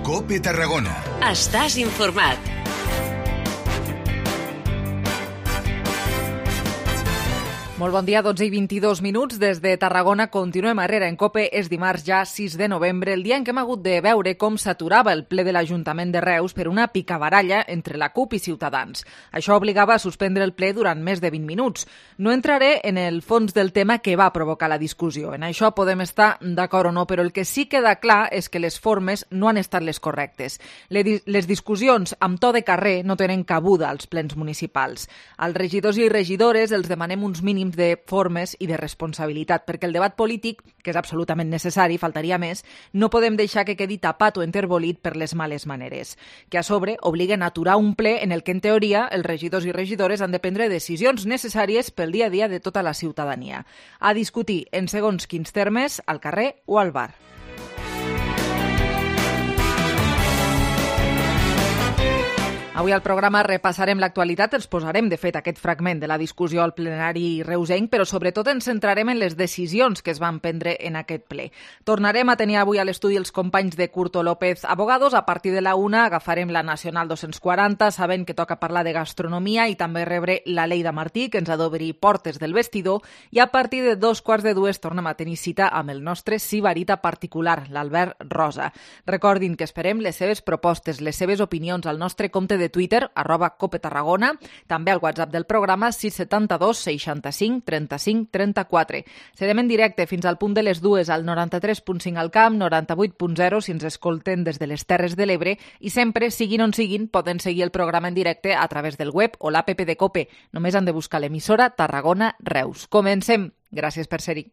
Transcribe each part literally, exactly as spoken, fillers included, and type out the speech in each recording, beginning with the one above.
COPE Tarragona. Estàs informat. Molt bon dia, dotze i vint-i-dos minuts. Des de Tarragona continuem a Herrera en COPE. És dimarts ja sis de novembre, el dia en què hem hagut de veure com s'aturava el ple de l'Ajuntament de Reus per una picabaralla entre la CUP i Ciutadans. Això obligava a suspendre el ple durant més de vint minuts. No entraré en el fons del tema que va provocar la discussió. En això podem estar d'acord o no, però el que sí queda clar és que les formes no han estat les correctes. Les discussions amb to de carrer no tenen cabuda als plens municipals. Als regidors i regidores els demanem uns mínims de formes i de responsabilitat, perquè el debat polític, que és absolutament necessari, faltaria més, no podem deixar que quedi tapat o enterbolit per les males maneres, que a sobre obliguen a aturar un ple en el que, en teoria, els regidors i regidores han de prendre decisions necessàries pel dia a dia de tota la ciutadania. A discutir en segons quins termes, al carrer o al bar. Avui al programa repassarem l'actualitat, ens posarem, de fet, aquest fragment de la discussió al plenari reusenc, però sobretot ens centrarem en les decisions que es van prendre en aquest ple. Tornarem a tenir avui a l'estudi els companys de Curto López Abogados. A partir de la una agafarem la Nacional dos-cents quaranta, sabent que toca parlar de gastronomia i també rebre la Lleida Martí, que ens ha d'obrir portes del vestidor, i a partir de dos quarts de dues tornem a tenir cita amb el nostre sibarita particular, l'Albert Rosa. Recordin que esperem les seves propostes, les seves opinions al nostre compte de de Twitter, arroba Cope Tarragona, també al WhatsApp del programa sis setanta dos seixanta-cinc trenta-cinc trenta-quatre. Serem en directe fins al punt de les dues al noranta-tres punt cinc al Camp, noranta-vuit punt zero si ens escolten des de les Terres de l'Ebre i sempre, siguin on siguin, poden seguir el programa en directe a través del web o l'app de Cope. Només han de buscar l'emissora Tarragona Reus. Comencem. Gràcies per ser-hi.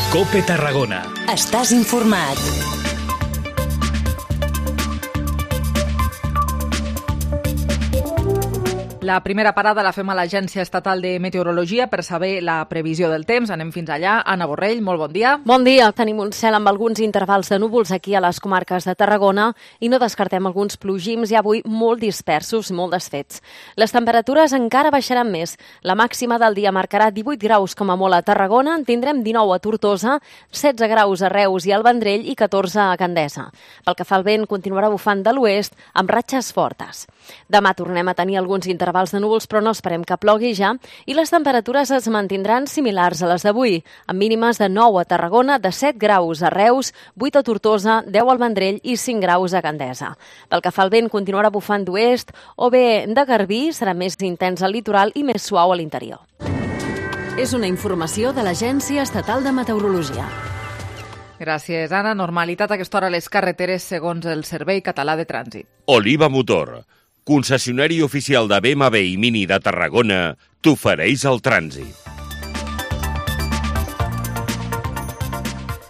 COPE Tarragona. Estàs informat. La primera parada la fem a l'Agència Estatal de Meteorologia per saber la previsió del temps. Anem fins allà. Anna Borrell, molt bon dia. Bon dia. Tenim un cel amb alguns intervals de núvols aquí a les comarques de Tarragona i no descartem alguns plogims i avui molt dispersos, molt desfets. Les temperatures encara baixaran més. La màxima del dia marcarà divuit graus com a molt a Tarragona, en tindrem dinou a Tortosa, setze graus a Reus i al Vendrell i catorze a Gandesa. Pel que fa al vent, continuarà bufant de l'oest amb ratxes fortes. Demà tornem a tenir alguns intervals de núvols, però no esperem que plogui ja, i les temperatures es mantindran similars a les d'avui, amb mínimes de nou a Tarragona, de set graus a Reus, vuit a Tortosa, deu al Vendrell i cinc graus a Gandesa. Pel que fa al vent, continuarà bufant d'oest o bé de garbí, serà més intens al litoral i més suau a l'interior. És una informació de l'Agència Estatal de Meteorologia. Gràcies, Anna. Normalitat a aquesta hora a les carreteres segons el Servei Català de Trànsit. Oliva Motor, concessionari oficial de B M W i Mini de Tarragona, t'ofereix el trànsit.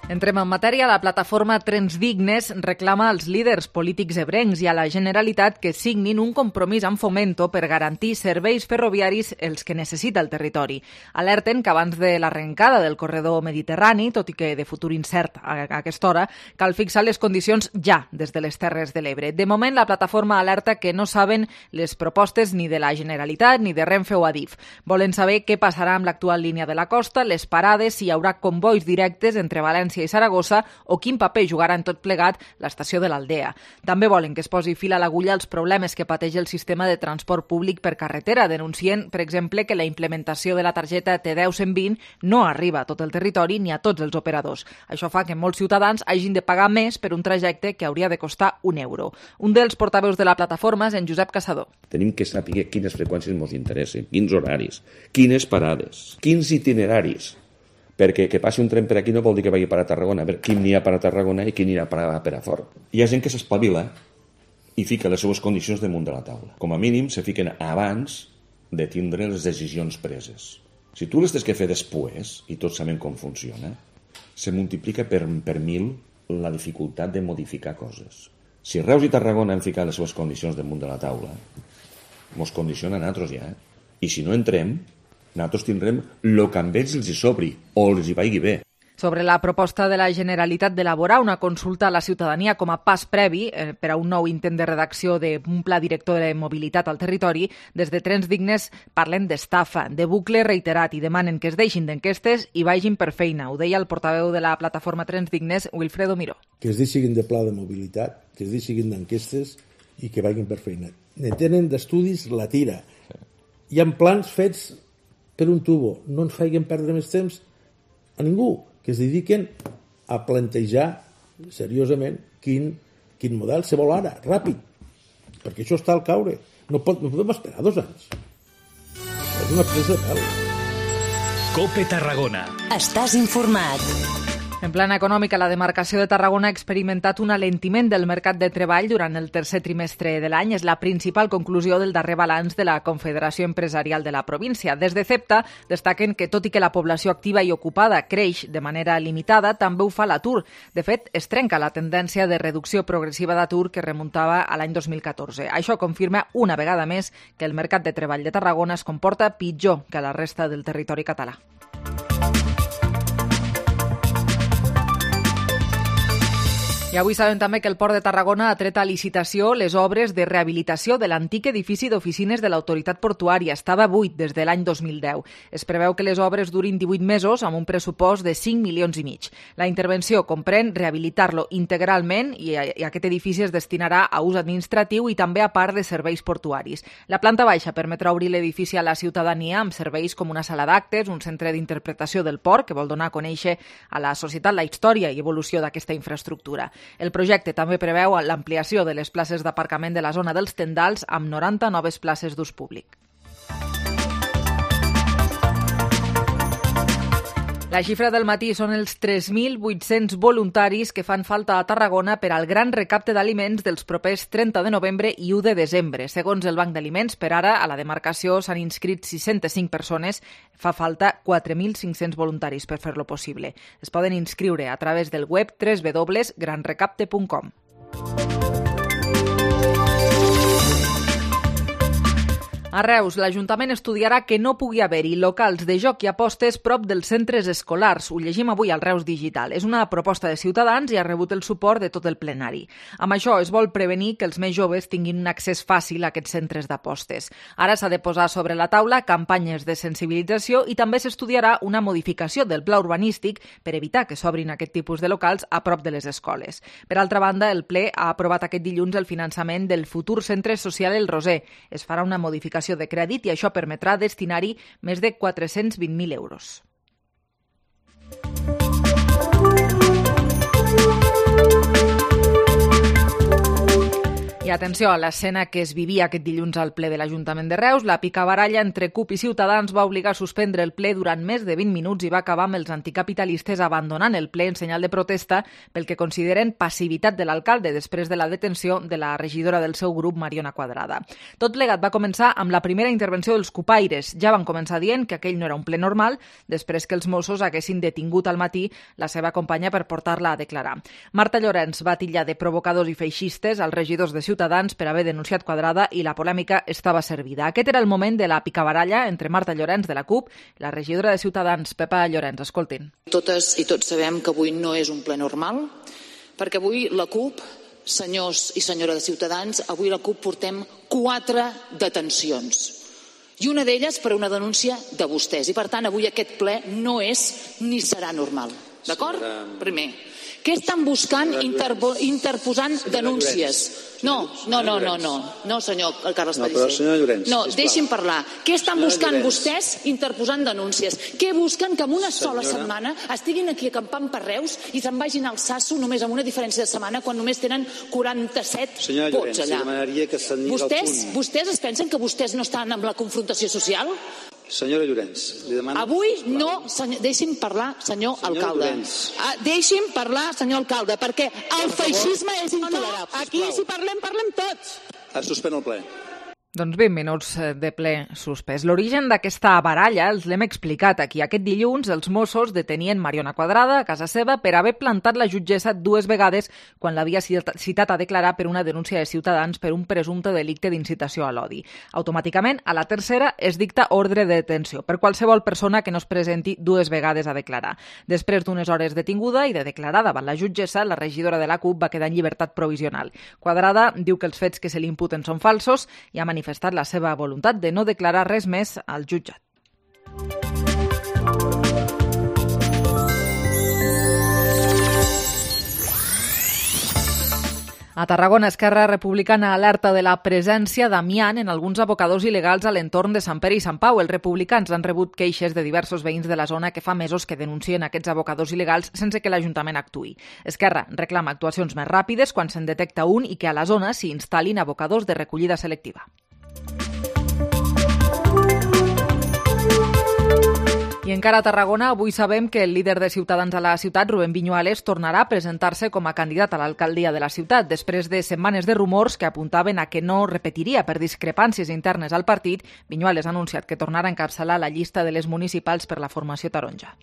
Entrem en matèria. La plataforma Trens Dignes reclama als líders polítics ebrencs i a la Generalitat que signin un compromís amb Fomento per garantir serveis ferroviaris els que necessita el territori. Alerten que abans de l'arrencada del corredor mediterrani, tot i que de futur incert a aquesta hora, cal fixar les condicions ja des de les Terres de l'Ebre. De moment, la plataforma alerta que no saben les propostes ni de la Generalitat ni de Renfe o Adif. Volen saber què passarà amb l'actual línia de la costa, les parades, si hi haurà convois directes entre València i Saragossa o quin paper jugarà en tot plegat l'estació de l'Aldea. També volen que es posi fil a l'agulla als problemes que pateix el sistema de transport públic per carretera, denuncien, per exemple, que la implementació de la targeta T deu cent vint no arriba a tot el territori ni a tots els operadors. Això fa que molts ciutadans hagin de pagar més per un trajecte que hauria de costar un euro. Un dels portaveus de la plataforma és en Josep Caçador. Tenim que saber quines freqüències ens interessen, quins horaris, quines parades, quins itineraris. Perquè que passi un tren per aquí no vol dir que vagi per a Tarragona. A veure, quin n'hi ha per a Tarragona i quin n'hi ha per a Perafort. Hi ha gent que s'espavila i fica les seues condicions damunt de la taula. Com a mínim, se fiquen abans de tindre les decisions preses. Si tu les tens que fer després, i tots sabem com funciona, se multiplica per, per mil la dificultat de modificar coses. Si Reus i Tarragona han ficat les seves condicions damunt de la taula, mos condiciona a nosaltres ja. Eh? I si no entrem, nosaltres tindrem el que amb ells els hi sobri o els hi vagi bé. Sobre la proposta de la Generalitat d'elaborar una consulta a la ciutadania com a pas previ eh, per a un nou intent de redacció d'un pla director de mobilitat al territori, des de Trens Dignes parlen d'estafa, de bucle reiterat i demanen que es deixin d'enquestes i vagin per feina. Ho deia el portaveu de la plataforma Trens Dignes, Wilfredo Miró. Que es deixin de pla de mobilitat, que es deixin d'enquestes i que vagin per feina. Ne tenen d'estudis la tira. Hi ha plans fets per un tubo. No ens feien perdre més temps a ningú, que es dediquen a plantejar seriosament quin, quin model se vol ara, ràpid, perquè això està al caure. No, pot, no podem esperar dos anys. És una presa de pèl. COPE Tarragona. Estàs informat. En plana econòmica, la demarcació de Tarragona ha experimentat un alentiment del mercat de treball durant el tercer trimestre de l'any. És la principal conclusió del darrer balanç de la Confederació Empresarial de la província. Des de CEPTA destaquen que, tot i que la població activa i ocupada creix de manera limitada, també ho fa l'atur. De fet, es trenca la tendència de reducció progressiva d'atur que remuntava a l'any dos mil catorze. Això confirma una vegada més que el mercat de treball de Tarragona es comporta pitjor que a la resta del territori català. I avui sabem també que el Port de Tarragona ha tret a licitació les obres de rehabilitació de l'antic edifici d'oficines de l'autoritat portuària. Estava buit des de l'any dos mil deu. Es preveu que les obres durin divuit mesos amb un pressupost de cinc milions i mig. La intervenció comprèn rehabilitar-lo integralment i aquest edifici es destinarà a ús administratiu i també a part de serveis portuaris. La planta baixa permetrà obrir l'edifici a la ciutadania amb serveis com una sala d'actes, un centre d'interpretació del port que vol donar a conèixer a la societat la història i evolució d'aquesta infraestructura. El projecte també preveu l'ampliació de les places d'aparcament de la zona dels tendals amb noranta noves places d'ús públic. La xifra del matí són els tres mil vuit-cents voluntaris que fan falta a Tarragona per al gran recapte d'aliments dels propers trenta de novembre i u de desembre. Segons el Banc d'Aliments, per ara a la demarcació s'han inscrit sis-centes cinc persones. Fa falta quatre mil cinc-cents voluntaris per fer-lo possible. Es poden inscriure a través del web w w w punt gran recapte punt com. A Reus, l'Ajuntament estudiarà que no pugui haver-hi locals de joc i apostes prop dels centres escolars. Ho llegim avui al Reus Digital. És una proposta de Ciutadans i ha rebut el suport de tot el plenari. Amb això es vol prevenir que els més joves tinguin un accés fàcil a aquests centres d'apostes. Ara s'ha de posar sobre la taula campanyes de sensibilització i també s'estudiarà una modificació del pla urbanístic per evitar que s'obrin aquest tipus de locals a prop de les escoles. Per altra banda, el ple ha aprovat aquest dilluns el finançament del futur centre social El Roser. Es farà una modificació de crèdit i això permetrà destinar-hi més de quatre-cents vint mil euros. I atenció a l'escena que es vivia aquest dilluns al ple de l'Ajuntament de Reus. La picabaralla entre CUP i Ciutadans va obligar a suspendre el ple durant més de vint minuts i va acabar amb els anticapitalistes abandonant el ple en senyal de protesta pel que consideren passivitat de l'alcalde després de la detenció de la regidora del seu grup, Mariona Quadrada. Tot plegat va començar amb la primera intervenció dels cupaires. Ja van començar dient que aquell no era un ple normal després que els Mossos haguessin detingut al matí la seva companya per portar-la a declarar. Marta Llorenç va titllar de provocadors i feixistes als regidors de Ciutadans Ciutadans per haver denunciat Quadrada i la polèmica estava servida. Aquest era el moment de la picabaralla entre Marta Llorenç de la CUP i la regidora de Ciutadans, Pepa Llorenç. Escoltin. Totes i tots sabem que avui no és un ple normal, perquè avui la CUP, senyors i senyora de Ciutadans, avui la CUP portem quatre detencions. I una d'elles per una denúncia de vostès. I per tant, avui aquest ple no és ni serà normal. D'acord? Primer. Què estan buscant interposant denúncies? No, no, no, no, no, no, senyor Carles Pellicer. No, deixin parlar. Què estan buscant vostès interposant denúncies? Què busquen que en una sola setmana estiguin aquí acampant per Reus i se'n vagin al Sasso només amb una diferència de setmana quan només tenen quaranta-set vots allà? Vostès, vostès es pensen que vostès no estan amb la confrontació social? Senyora Llorenç, li demano... Avui no... Senyor, deixi'm parlar, senyor alcalde. Ah, deixi'm parlar, senyor alcalde, perquè el feixisme és intolerable. Aquí, si parlem, parlem tots. Es suspèn el ple. Doncs vint minuts de ple suspès. L'origen d'aquesta baralla els l'hem explicat aquí. Aquest dilluns els Mossos detenien Mariona Quadrada a casa seva per haver plantat la jutgessa dues vegades quan l'havia citat a declarar per una denúncia de Ciutadans per un presumpte delicte d'incitació a l'odi. Automàticament, a la tercera es dicta ordre de detenció per qualsevol persona que no es presenti dues vegades a declarar. Després d'unes hores detinguda i de declarar davant la jutgessa, la regidora de la CUP va quedar en llibertat provisional. Quadrada diu que els fets que se li imputen són falsos i ha manifestat manifestat la seva voluntat de no declarar res més al jutjat. A Tarragona, Esquerra Republicana alerta de la presència d'amiant en alguns abocadors il·legals a l'entorn de Sant Pere i Sant Pau. Els republicans han rebut queixes de diversos veïns de la zona que fa mesos que denuncien aquests abocadors il·legals sense que l'Ajuntament actuï. Esquerra reclama actuacions més ràpides quan se'n detecta un i que a la zona s'hi instal·lin abocadors de recollida selectiva. I encara a Tarragona, avui sabem que el líder de Ciutadans a la ciutat, Rubén Viñuales, tornarà a presentar-se com a candidat a l'alcaldia de la ciutat. Després de setmanes de rumors que apuntaven a que no repetiria per discrepàncies internes al partit, Viñuales ha anunciat que tornarà a encapçalar la llista de les municipals per la formació taronja.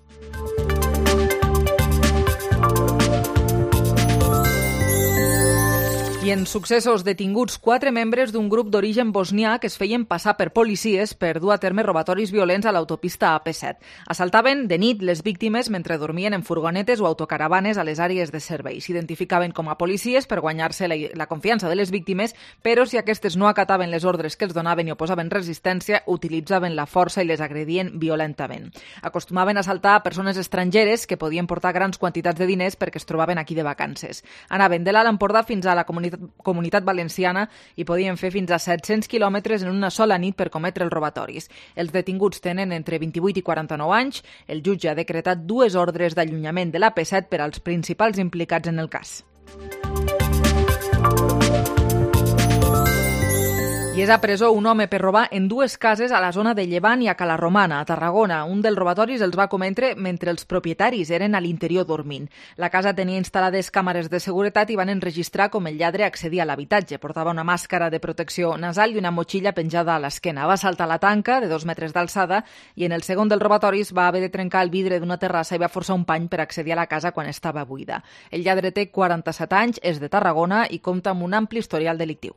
I en successos detinguts quatre membres d'un grup d'origen bosnià que es feien passar per policies per dur a terme robatoris violents a l'autopista A P set. Assaltaven de nit les víctimes mentre dormien en furgonetes o autocaravanes a les àrees de servei. S'identificaven com a policies per guanyar-se la, la confiança de les víctimes, però si aquestes no acataven les ordres que els donaven i oposaven resistència, utilitzaven la força i les agredien violentament. Acostumaven a assaltar persones estrangeres que podien portar grans quantitats de diners perquè es trobaven aquí de vacances. Anaven de l'Alt Empordà fins a la comunitat Comunitat Valenciana i podien fer fins a set-cents quilòmetres en una sola nit per cometre els robatoris. Els detinguts tenen entre vint-i-vuit i quaranta-nou anys. El jutge ha decretat dues ordres d'allunyament de l'A P set per als principals implicats en el cas. I és a presó un home per robar en dues cases a la zona de Llevant i a Cala Romana, a Tarragona. Un dels robatoris els va cometre mentre els propietaris eren a l'interior dormint. La casa tenia instal·lades càmeres de seguretat i van enregistrar com el lladre accedia a l'habitatge. Portava una màscara de protecció nasal i una motxilla penjada a l'esquena. Va saltar la tanca de dos metres d'alçada i en el segon dels robatoris va haver de trencar el vidre d'una terrassa i va forçar un pany per accedir a la casa quan estava buida. El lladre té quaranta-set anys, és de Tarragona i compta amb un ampli historial delictiu.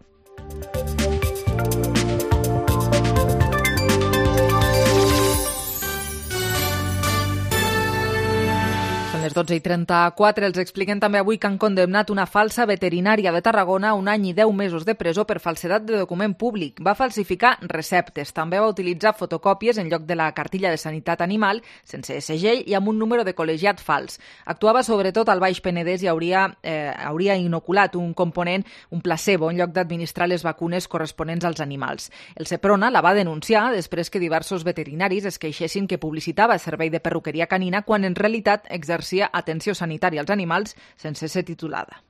Les dotze i trenta-quatre els expliquen també avui que han condemnat una falsa veterinària de Tarragona a un any i deu mesos de presó per falsedat de document públic. Va falsificar receptes. També va utilitzar fotocòpies en lloc de la cartilla de sanitat animal, sense segell i amb un número de col·legiat fals. Actuava sobretot al Baix Penedès i hauria, eh, hauria inoculat un component, un placebo, en lloc d'administrar les vacunes corresponents als animals. El Seprona la va denunciar després que diversos veterinaris es queixessin que publicitava servei de perruqueria canina quan en realitat exercia atenció sanitària als animals sense ser titulada.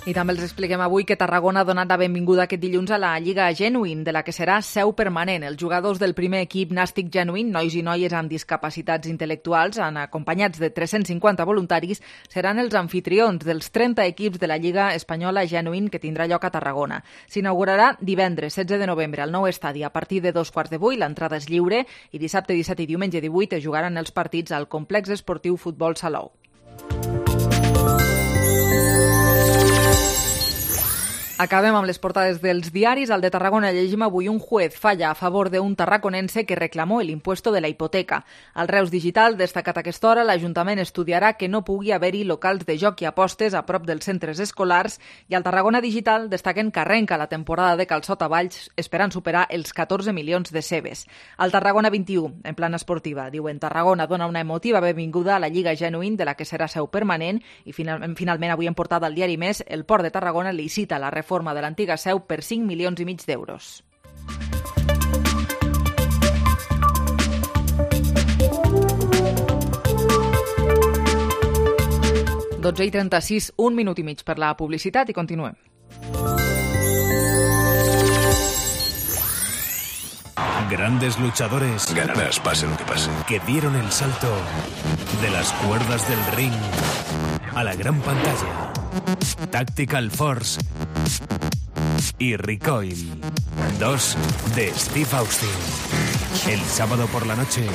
I també els expliquem avui que Tarragona ha donat la benvinguda aquest dilluns a la Lliga Genuine, de la que serà seu permanent. Els jugadors del primer equip Nàstic Genuine, nois i noies amb discapacitats intel·lectuals, acompanyats de tres-cents cinquanta voluntaris, seran els anfitrions dels trenta equips de la Lliga Espanyola Genuine que tindrà lloc a Tarragona. S'inaugurarà divendres setze de novembre al nou estadi a partir de dos quarts de vuit. L'entrada és lliure i dissabte disset i diumenge divuit es jugaran els partits al Complex Esportiu Futbol Salou. Acabem amb les portades dels diaris. Al de Tarragona llegim avui: un juez falla a favor d'un tarraconense que reclamó el impuesto de la hipoteca. Al Reus Digital, destacat a aquesta hora, l'Ajuntament estudiarà que no pugui haver-hi locals de joc i apostes a prop dels centres escolars. I al Tarragona Digital destaquen que arrenca la temporada de calçot a Valls esperant superar els catorze milions de cebes. Al Tarragona vint-i-u, en plana esportiva, diuen: Tarragona dona una emotiva benvinguda a la Lliga Genuine, de la que serà seu permanent. I final, finalment avui en portada al diari Més, el Port de Tarragona licita la reforma forma de l'antiga seu per cinc milions i mig d'euros. dotze i trenta-sis, un minut i mig per la publicitat i continuem. Grandes luchadores. Ganarás, pase lo que pase. Que dieron el salto de las cuerdas del ring a la gran pantalla. Tactical Force y Recoil. Dos de Steve Austin. El sábado por la noche,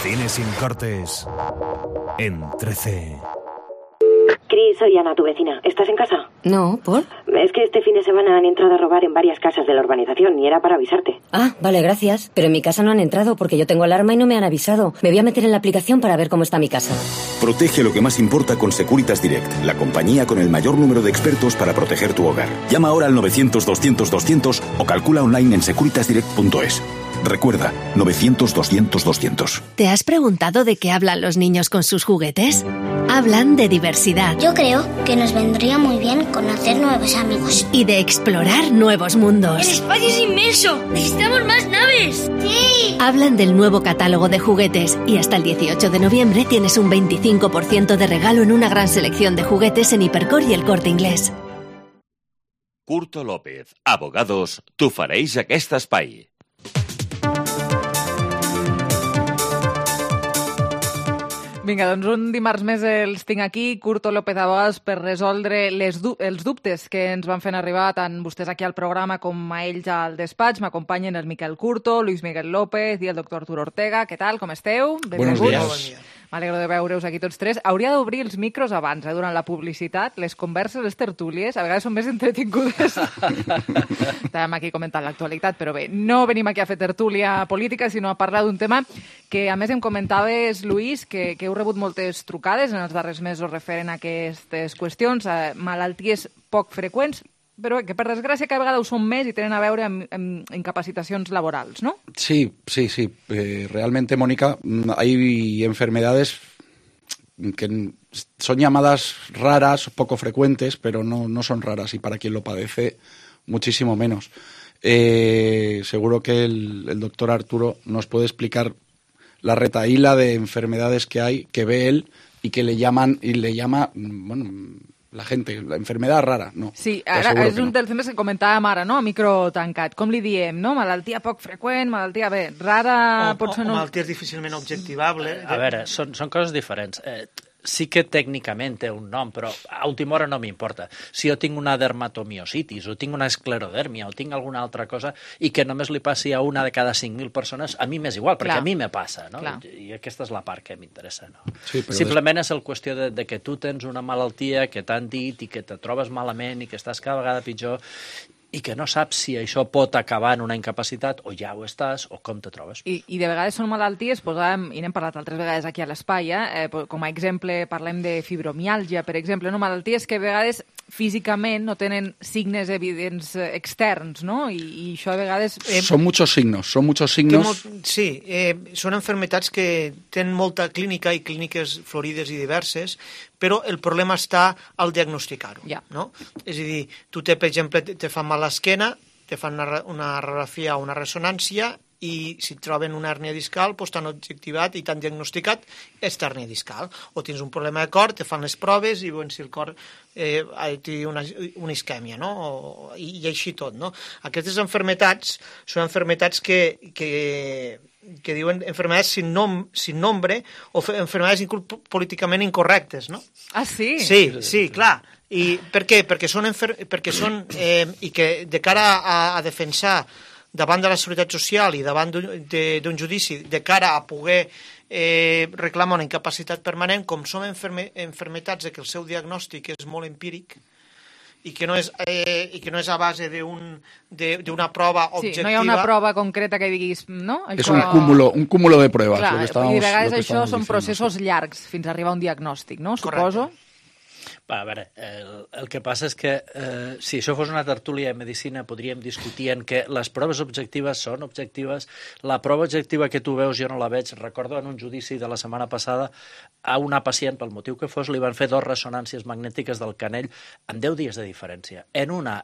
Cine sin cortes en trece. Cris, soy Ana, tu vecina. ¿Estás en casa? No, ¿por? Es que este fin de semana han entrado a robar en varias casas de la urbanización y era para avisarte. Ah, vale, gracias. Pero en mi casa no han entrado porque yo tengo alarma y no me han avisado. Me voy a meter en la aplicación para ver cómo está mi casa. Protege lo que más importa con Securitas Direct, la compañía con el mayor número de expertos para proteger tu hogar. Llama ahora al novecientos doscientos doscientos o calcula online en securitas direct punto es. Recuerda, novecientos doscientos doscientos. ¿Te has preguntado de qué hablan los niños con sus juguetes? Hablan de diversidad. Yo creo que nos vendría muy bien conocer nuevos amigos. Y de explorar nuevos mundos. ¡El espacio es inmenso! ¡Necesitamos más naves! ¡Sí! Hablan del nuevo catálogo de juguetes y hasta el dieciocho de noviembre tienes un veinticinco por ciento de regalo en una gran selección de juguetes en Hipercor y El Corte Inglés. Curto López, abogados, t'ofereix aquest espai. Vinga, doncs un dimarts més els tinc aquí, Curto López Abogados, per resoldre les du els dubtes que ens van fent arribar tant vostès aquí al programa com a ells al despatx. M'acompanyen el Miquel Curto, Luis Miguel López i el doctor Arturo Ortega. Què tal, com esteu? Buenos días. M'alegro de veure-us aquí tots tres. Hauria d'obrir els micros abans, eh, durant la publicitat. Les converses, les tertúlies, a vegades són més entretingudes. Estàvem aquí comentant l'actualitat, però bé, no venim aquí a fer tertúlia política, sinó a parlar d'un tema que, a més, em comentaves, Luis, que, que heu rebut moltes trucades en els darrers mesos referent a aquestes qüestions, a malalties poc freqüents, però que per desgràcia cada vegada ho són més y tenen a veure amb, amb incapacitacions laborals, ¿no? Sí, sí, sí. Eh, realmente, Mónica, hay enfermedades que son llamadas raras, poco frecuentes, pero no, no son raras y para quien lo padece, muchísimo menos. Eh, seguro que el, el doctor Arturo nos puede explicar la retahíla de enfermedades que hay, que ve él y que le llaman, y le llama, bueno, la gente, la enfermedad rara, no. Sí, ara és un dels temes que comentàvem ara, no?, a micro tancat. Com li diem, no? Malaltia poc freqüent, malaltia, bé, rara... O, potser o, no... o malalties difícilment objectivables. A veure, són, són coses diferents. Eh, sí que tècnicament té un nom, però a última hora no m'importa. Si jo tinc una dermatomiositis, o tinc una esclerodèrmia, o tinc alguna altra cosa, i que només li passi a una de cada cinc mil persones, a mi m'és igual, perquè Clar. a mi me passa, no? Clar. I aquesta és la part que m'interessa, no? Sí, però Simplement és el qüestió de, de que tu tens una malaltia que t'han dit i que te trobes malament i que estàs cada vegada pitjor i que no saps si això pot acabar en una incapacitat o ja ho estàs o com te trobes. I, i de vegades són malalties, posàvem, i n'hem parlat altres vegades aquí a l'espai, eh? eh, com a exemple parlem de fibromiàlgia, per exemple, no? Malalties que a vegades físicament no tenen signes evidents externs, no? I, i això a vegades... Eh, son muchos signos, son muchos signos... Molt, sí, eh, són enfermetats que tenen molta clínica i clíniques florides i diverses, però el problema està al diagnosticar-ho. Yeah. No? És a dir, tu te, per exemple, te fan mal l'esquena, te fan una, una radiografia o una ressonància i si et troben una hèrnia discal, doncs t'han objectivat i t'han diagnosticat esta hèrnia discal. O tens un problema de cor, te fan les proves i veuen si el cor eh, té una, una isquèmia, no? O, i, i així tot, no? Aquestes enfermetats són enfermetats que, que, que diuen enfermedades sin, nom, sin nombre o enfermedades inclús políticament incorrectes, no? Ah, sí? Sí, sí, clar. I per què? Perquè són, enfer... perquè són eh, i que de cara a, a defensar davant de la Seguretat Social i davant d'un judici, de cara a poder eh, reclamar una incapacitat permanent, com són enferme, enfermetats de que el seu diagnòstic és molt empíric i que no és, eh, i que no és a base d'una prova objectiva. Sí, no hi ha una prova concreta que diguis, no? Això... És un cúmulo, un cúmulo de pruebas. Clar, lo que estamos, i de vegades això són diciendo, processos sí. llargs fins a arribar a un diagnòstic, no? Correcte. Suposo. Va, a veure, el, el que passa és que eh, si això fos una tertúlia de medicina podríem discutir en que les proves objectives són objectives. La prova objectiva que tu veus jo no la veig. Recordo en un judici de la setmana passada a una pacient, pel motiu que fos, li van fer dos ressonàncies magnètiques del canell amb deu dies de diferència. En una,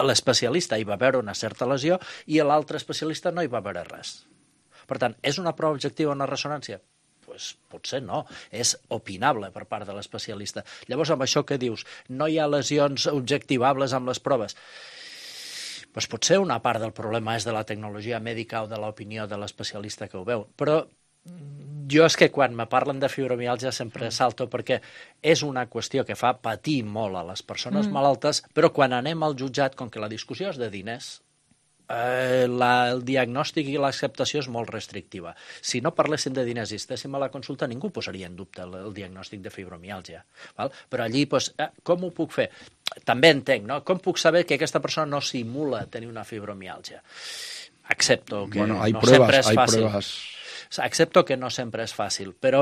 l'especialista hi va veure una certa lesió i l'altre especialista no hi va veure res. Per tant, és una prova objectiva una ressonància? Pues, potser no, és opinable per part de l'especialista. Llavors, amb això que dius, no hi ha lesions objectivables amb les proves. doncs potser una part del problema és de la tecnologia mèdica o de l'opinió de l'especialista que ho veu, però jo és que quan me parlen de fibromiàlgia sempre salto perquè és una qüestió que fa patir molt a les persones mm. malaltes, però quan anem al jutjat, com que la discussió és de diners, eh, la, el diagnòstic i l'acceptació és molt restrictiva. Si no parléssim de diners i estéssim a la consulta, ningú posaria en dubte el, el diagnòstic de fibromiàlgia. Val? Però allí, doncs, eh, com ho puc fer? També entenc, no? Com puc saber que aquesta persona no simula tenir una fibromiàlgia? Accepto que bueno, hay no pruebas, sempre és hay fàcil. Pruebas. Accepto que no sempre és fàcil, però,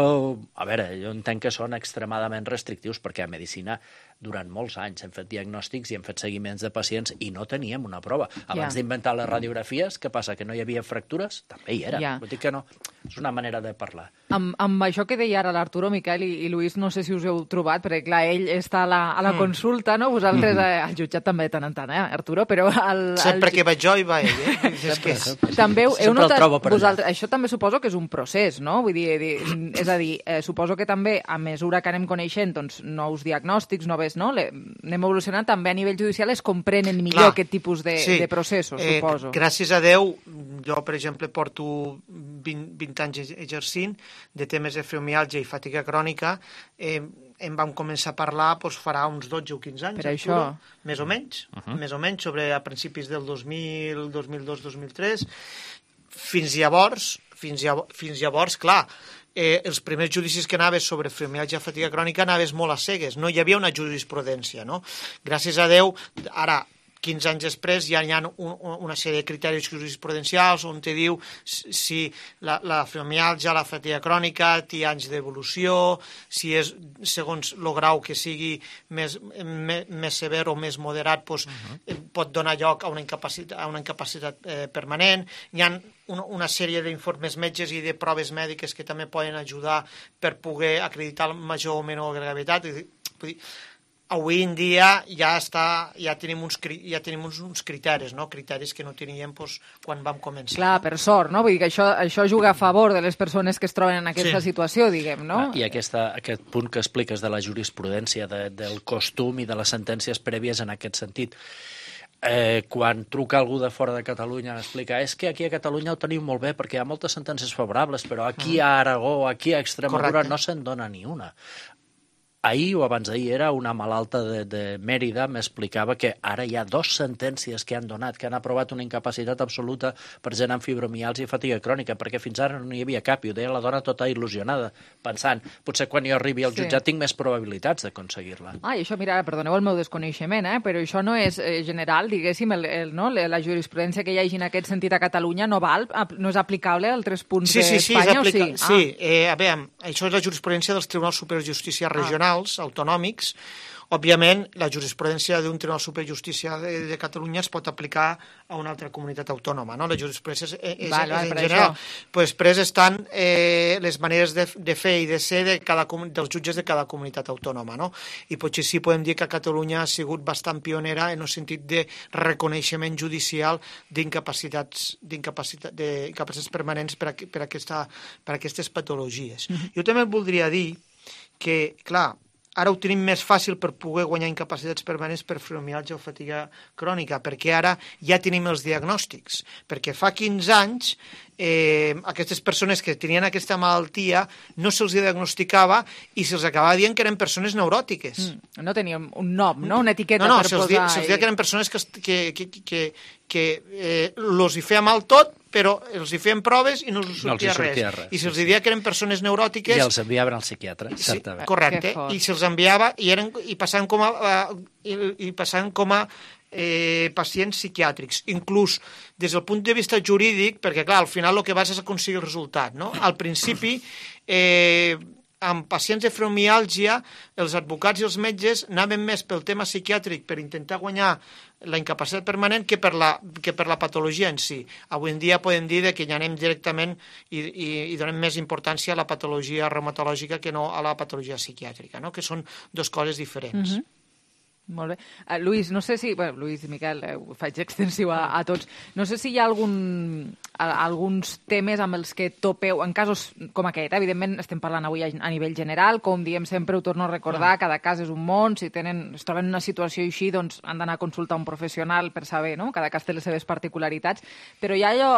a veure, jo entenc que són extremadament restrictius perquè a medicina durant molts anys hem fet diagnòstics i hem fet seguiments de pacients i no teníem una prova. Abans Ja. d'inventar les radiografies, què passa, que no hi havia fractures? També hi era. Ja. Vull dir que no, és una manera de parlar. Amb, amb això que deia ara l'Arturo, Miquel i, i Lluís, no sé si us heu trobat, perquè clar, ell està a la, a la Mm. consulta, no? Vosaltres eh, al jutjat també de tant en tant, eh, Arturo? Però al, Sempre al... que vaig jo hi va ell, eh? És que és... També heu, heu Sempre el notat, trobo per allà. vosaltres, això també suposo que és un procés, no? Vull dir, dir és a dir, eh, suposo que també a mesura que anem coneixent doncs, nous diagnòstics, noves, no? Le, anem evolucionant, també a nivell judicial es comprenen millor Clar, aquest tipus de, sí. de processos, Eh, suposo. Gràcies a Déu, jo, per exemple, porto vint, vint anys exercint de temes de fibromiàlgia i fatiga crònica. Eh, em vam començar a parlar doncs, farà uns dotze o quinze anys, Per Arturo, això. més o menys, uh -huh. més o menys, sobre a principis del dos mil, dos mil dos, dos mil tres. Fins llavors, fins llavors, fins llavors clar, eh, els primers judicis que anaves sobre fibromiàlgia i fatiga crònica anaves molt a cegues, no hi havia una jurisprudència, no? Gràcies a Déu, ara, quinze anys després, ja hi ha un, una sèrie de criteris jurisprudencials on te diu si la, la fibromiàlgia, la fatiga crònica té anys d'evolució, si és segons el grau que sigui més, més, més sever o més moderat, doncs, uh-huh. pot donar lloc a una incapacitat, a una incapacitat eh, permanent. Hi ha una, una sèrie d'informes metges i de proves mèdiques que també poden ajudar per poder acreditar major o menor gravetat. Vull dir, avui en dia ja està, ja tenim uns, ja tenim uns, uns criteris, no? Criteris que no teníem doncs, quan vam començar. Clar, per sort, no? Vull dir que això, això juga a favor de les persones que es troben en aquesta Sí. situació, diguem, no? Ah, I aquesta, aquest punt que expliques de la jurisprudència, de, del costum i de les sentències prèvies en aquest sentit. Eh, quan truca algú de fora de Catalunya m'explica, és que aquí a Catalunya ho tenim molt bé perquè hi ha moltes sentències favorables, però aquí a Aragó, aquí a Extremadura Correcte. no se'n dona ni una. Ahir o abans d'ahir era una malalta de, de Mèrida, m'explicava que ara hi ha dos sentències que han donat, que han aprovat una incapacitat absoluta per gent amb fibromiàlgia i fatiga crònica, perquè fins ara no hi havia cap, i ho deia la dona tota il·lusionada, pensant, potser quan jo arribi al Sí. jutjat tinc més probabilitats d'aconseguir-la. Ah, i això, mira, perdoneu el meu desconeixement, eh? Però això no és eh, general, diguéssim, el, el, no? la jurisprudència que hi hagi en aquest sentit a Catalunya no val, no és aplicable a altres punts Sí, sí, sí, és d'Espanya, aplica... o sí? sí. Eh, a veure, això és la jurisprudència dels Tribunals Superiors de Justícia regionals, autonòmics. Òbviament, la jurisprudència d'un Tribunal Superior de Justícia de, de Catalunya es pot aplicar a una altra comunitat autònoma, no? La jurisprudència és, és, Val, val, és en per general. això. Pues després estan eh, les maneres de, de fer i de ser de cada, comu- dels jutges de cada comunitat autònoma, no? I potser sí podem dir que Catalunya ha sigut bastant pionera en el sentit de reconeixement judicial d'incapacitats d'incapacitat, d'incapacitats permanents per a, per a, aquesta, per a aquestes patologies. Mhm. Jo també voldria dir que, clar, ara ho tenim més fàcil per poder guanyar incapacitats permanents per fibromiàlgia o fatiga crònica, perquè ara ja tenim els diagnòstics. Perquè fa quinze anys eh, aquestes persones que tenien aquesta malaltia no se'ls diagnosticava i se'ls acabava dient que eren persones neuròtiques. Mm, no teníem un nom, no? Una etiqueta no, no, per se'ls posar... dia, se'ls dia que eren persones que, que, que, que, que eh, los hi feia mal tot, però els hi feien proves i no els No els hi sortia, sortia res. res, I se'ls sí, dia que eren persones neuròtiques... I els enviaven al psiquiatre, Sí, certament. correcte, i se'ls enviava i, eren, i passaven com a, uh, i, i passaven com a eh, pacients psiquiàtrics, inclús des del punt de vista jurídic, perquè clar, al final el que vas és aconseguir el resultat, no? Al principi, eh, amb pacients de fibromiàlgia, els advocats i els metges anaven més pel tema psiquiàtric per intentar guanyar la incapacitat permanent que per la, que per la patologia en si. Avui en dia podem dir que hi anem directament i, i, i donem més importància a la patologia reumatològica que no a la patologia psiquiàtrica, no? Que són dues coses diferents. Mhm. Molt bé. Uh, Lluís, no sé si... Bueno, Lluís i Miquel, eh, ho faig extensiu a, a tots. No sé si hi ha algun, a, alguns temes amb els que topeu, en casos com aquest, eh? Evidentment estem parlant avui a, a nivell general, com diem sempre, ho torno a recordar, ah. cada cas és un món, si tenen, es troben en una situació així, doncs han d'anar a consultar un professional per saber, no? Cada cas té les seves particularitats, però hi ha allò...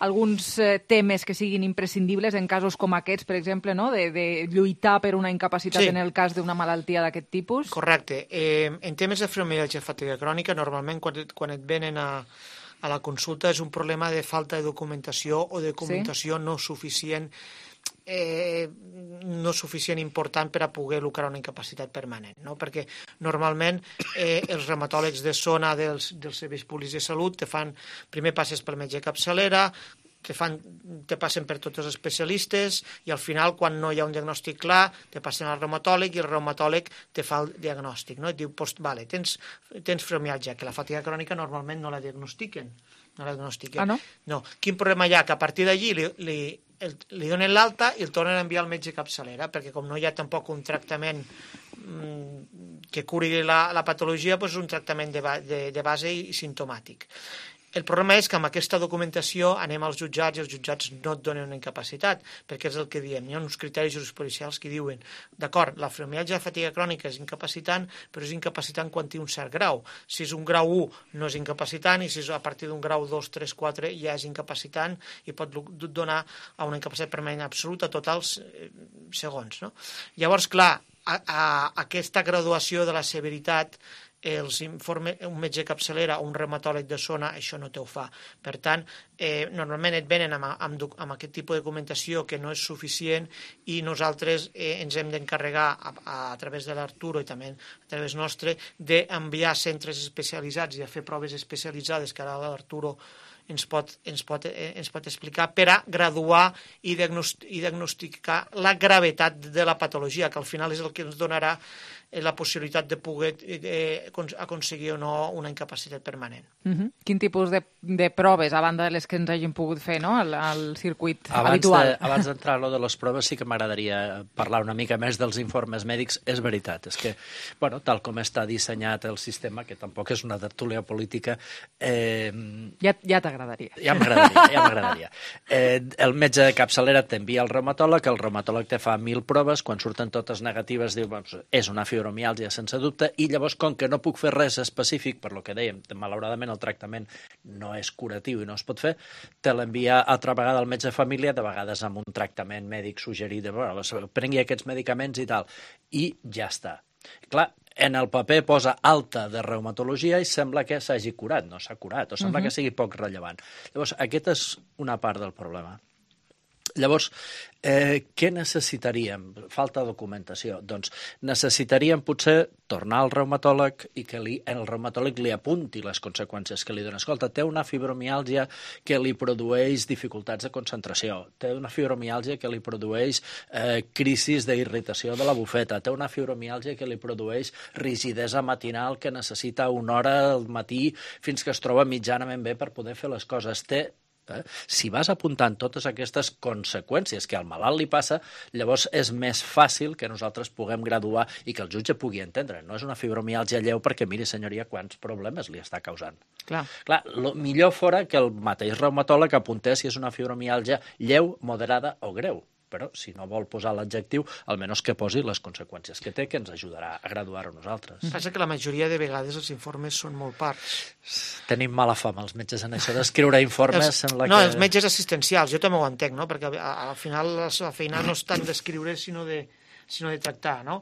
alguns eh, temes que siguin imprescindibles en casos com aquests, per exemple, no? de, de lluitar per una incapacitat sí. en el cas d'una malaltia d'aquest tipus? Correcte. Eh, en temes de fibromialgia fatiga crònica, normalment quan, quan et venen a, a la consulta és un problema de falta de documentació o de documentació sí? no suficient eh, no suficient important per a poder lucrar una incapacitat permanent, no? Perquè normalment eh, els reumatòlegs de zona dels, dels serveis públics de salut te fan, primer passes pel metge capçalera, te, fan, te passen per tots els especialistes i al final, quan no hi ha un diagnòstic clar, te passen al reumatòleg i el reumatòleg te fa el diagnòstic, no? Et diu, pues, vale, tens, tens fibromialgia, que la fatiga crònica normalment no la diagnostiquen. No la diagnostiquen. Ah, no? No. Quin problema hi ha? Que a partir d'allí li, li El, li donen l'alta i el tornen a enviar al metge capçalera, perquè com no hi ha tampoc un tractament mmm, que curi la, la patologia, doncs és un tractament de, de, de base i simptomàtic. El problema és que amb aquesta documentació anem als jutjats i els jutjats no et donen una incapacitat, perquè és el que diem. Hi ha uns criteris jurisprudencials que diuen, d'acord, la fibromialgia de fatiga crònica és incapacitant, però és incapacitant quan té un cert grau. Si és un grau u no és incapacitant i si és a partir d'un grau dos, tres, quatre ja és incapacitant i pot donar a una incapacitat permanent absoluta totals segons. No? Llavors, clar, a, a aquesta graduació de la severitat els informes, un metge capçalera o un reumatòleg de zona, això no te ho fa. Per tant, eh, normalment et venen amb, amb, amb aquest tipus de documentació que no és suficient i nosaltres eh, ens hem d'encarregar a, a, a través de l'Arturo i també a través nostre d'enviar centres especialitzats i a fer proves especialitzades que ara l'Arturo ens pot, ens, pot, eh, ens pot explicar per a graduar i, diagnost i diagnosticar la gravetat de la patologia, que al final és el que ens donarà la possibilitat de poder eh, aconseguir o no una incapacitat permanent. Uh-huh. Quin tipus de, de proves, a banda de les que ens hagin pogut fer, no?, al, al circuit abans habitual? De, abans d'entrar a lo de les proves, sí que m'agradaria parlar una mica més dels informes mèdics. És veritat, és que, bueno, tal com està dissenyat el sistema, que tampoc és una tertúlia política... Eh, ja ja t'agradaria. Ja m'agradaria, ja m'agradaria. Eh, el metge de capçalera t'envia al reumatòleg, el reumatòleg te fa mil proves, quan surten totes negatives diu, bueno, és una fibromiàlgia sense dubte, i llavors, com que no puc fer res específic, per lo que dèiem, malauradament el tractament no és curatiu i no es pot fer, te l'envia altra vegada al metge de família, de vegades amb un tractament mèdic suggerit, de, bueno, prengui aquests medicaments i tal, i ja està. Clar, en el paper posa alta de reumatologia i sembla que s'hagi curat, no s'ha curat, o sembla uh-huh. que sigui poc rellevant. Llavors, aquesta és una part del problema. Llavors, eh, què necessitaríem? Falta documentació. Doncs necessitaríem potser tornar al reumatòleg i que li, el reumatòleg li apunti les conseqüències que li dona. Escolta, té una fibromiàlgia que li produeix dificultats de concentració, té una fibromiàlgia que li produeix eh, crisis d'irritació de la bufeta, té una fibromiàlgia que li produeix rigidesa matinal que necessita una hora al matí fins que es troba mitjanament bé per poder fer les coses. Té Eh? Si vas apuntant totes aquestes conseqüències que al malalt li passa, llavors és més fàcil que nosaltres puguem graduar i que el jutge pugui entendre. No és una fibromiàlgia lleu perquè, miri, senyoria, quants problemes li està causant. Clar. Clar, lo millor fora que el mateix reumatòleg apuntés si és una fibromiàlgia lleu, moderada o greu. Però si no vol posar l'adjectiu, almenys que posi les conseqüències que té, que ens ajudarà a graduar-ho nosaltres. Passa que la majoria de vegades els informes són molt parts. Tenim mala fama, els metges, en això d'escriure informes. Els, sembla no, que... els metges assistencials, jo també ho entenc, no? Perquè al final la feina no és tant d'escriure, sinó de sinó de tractar, no?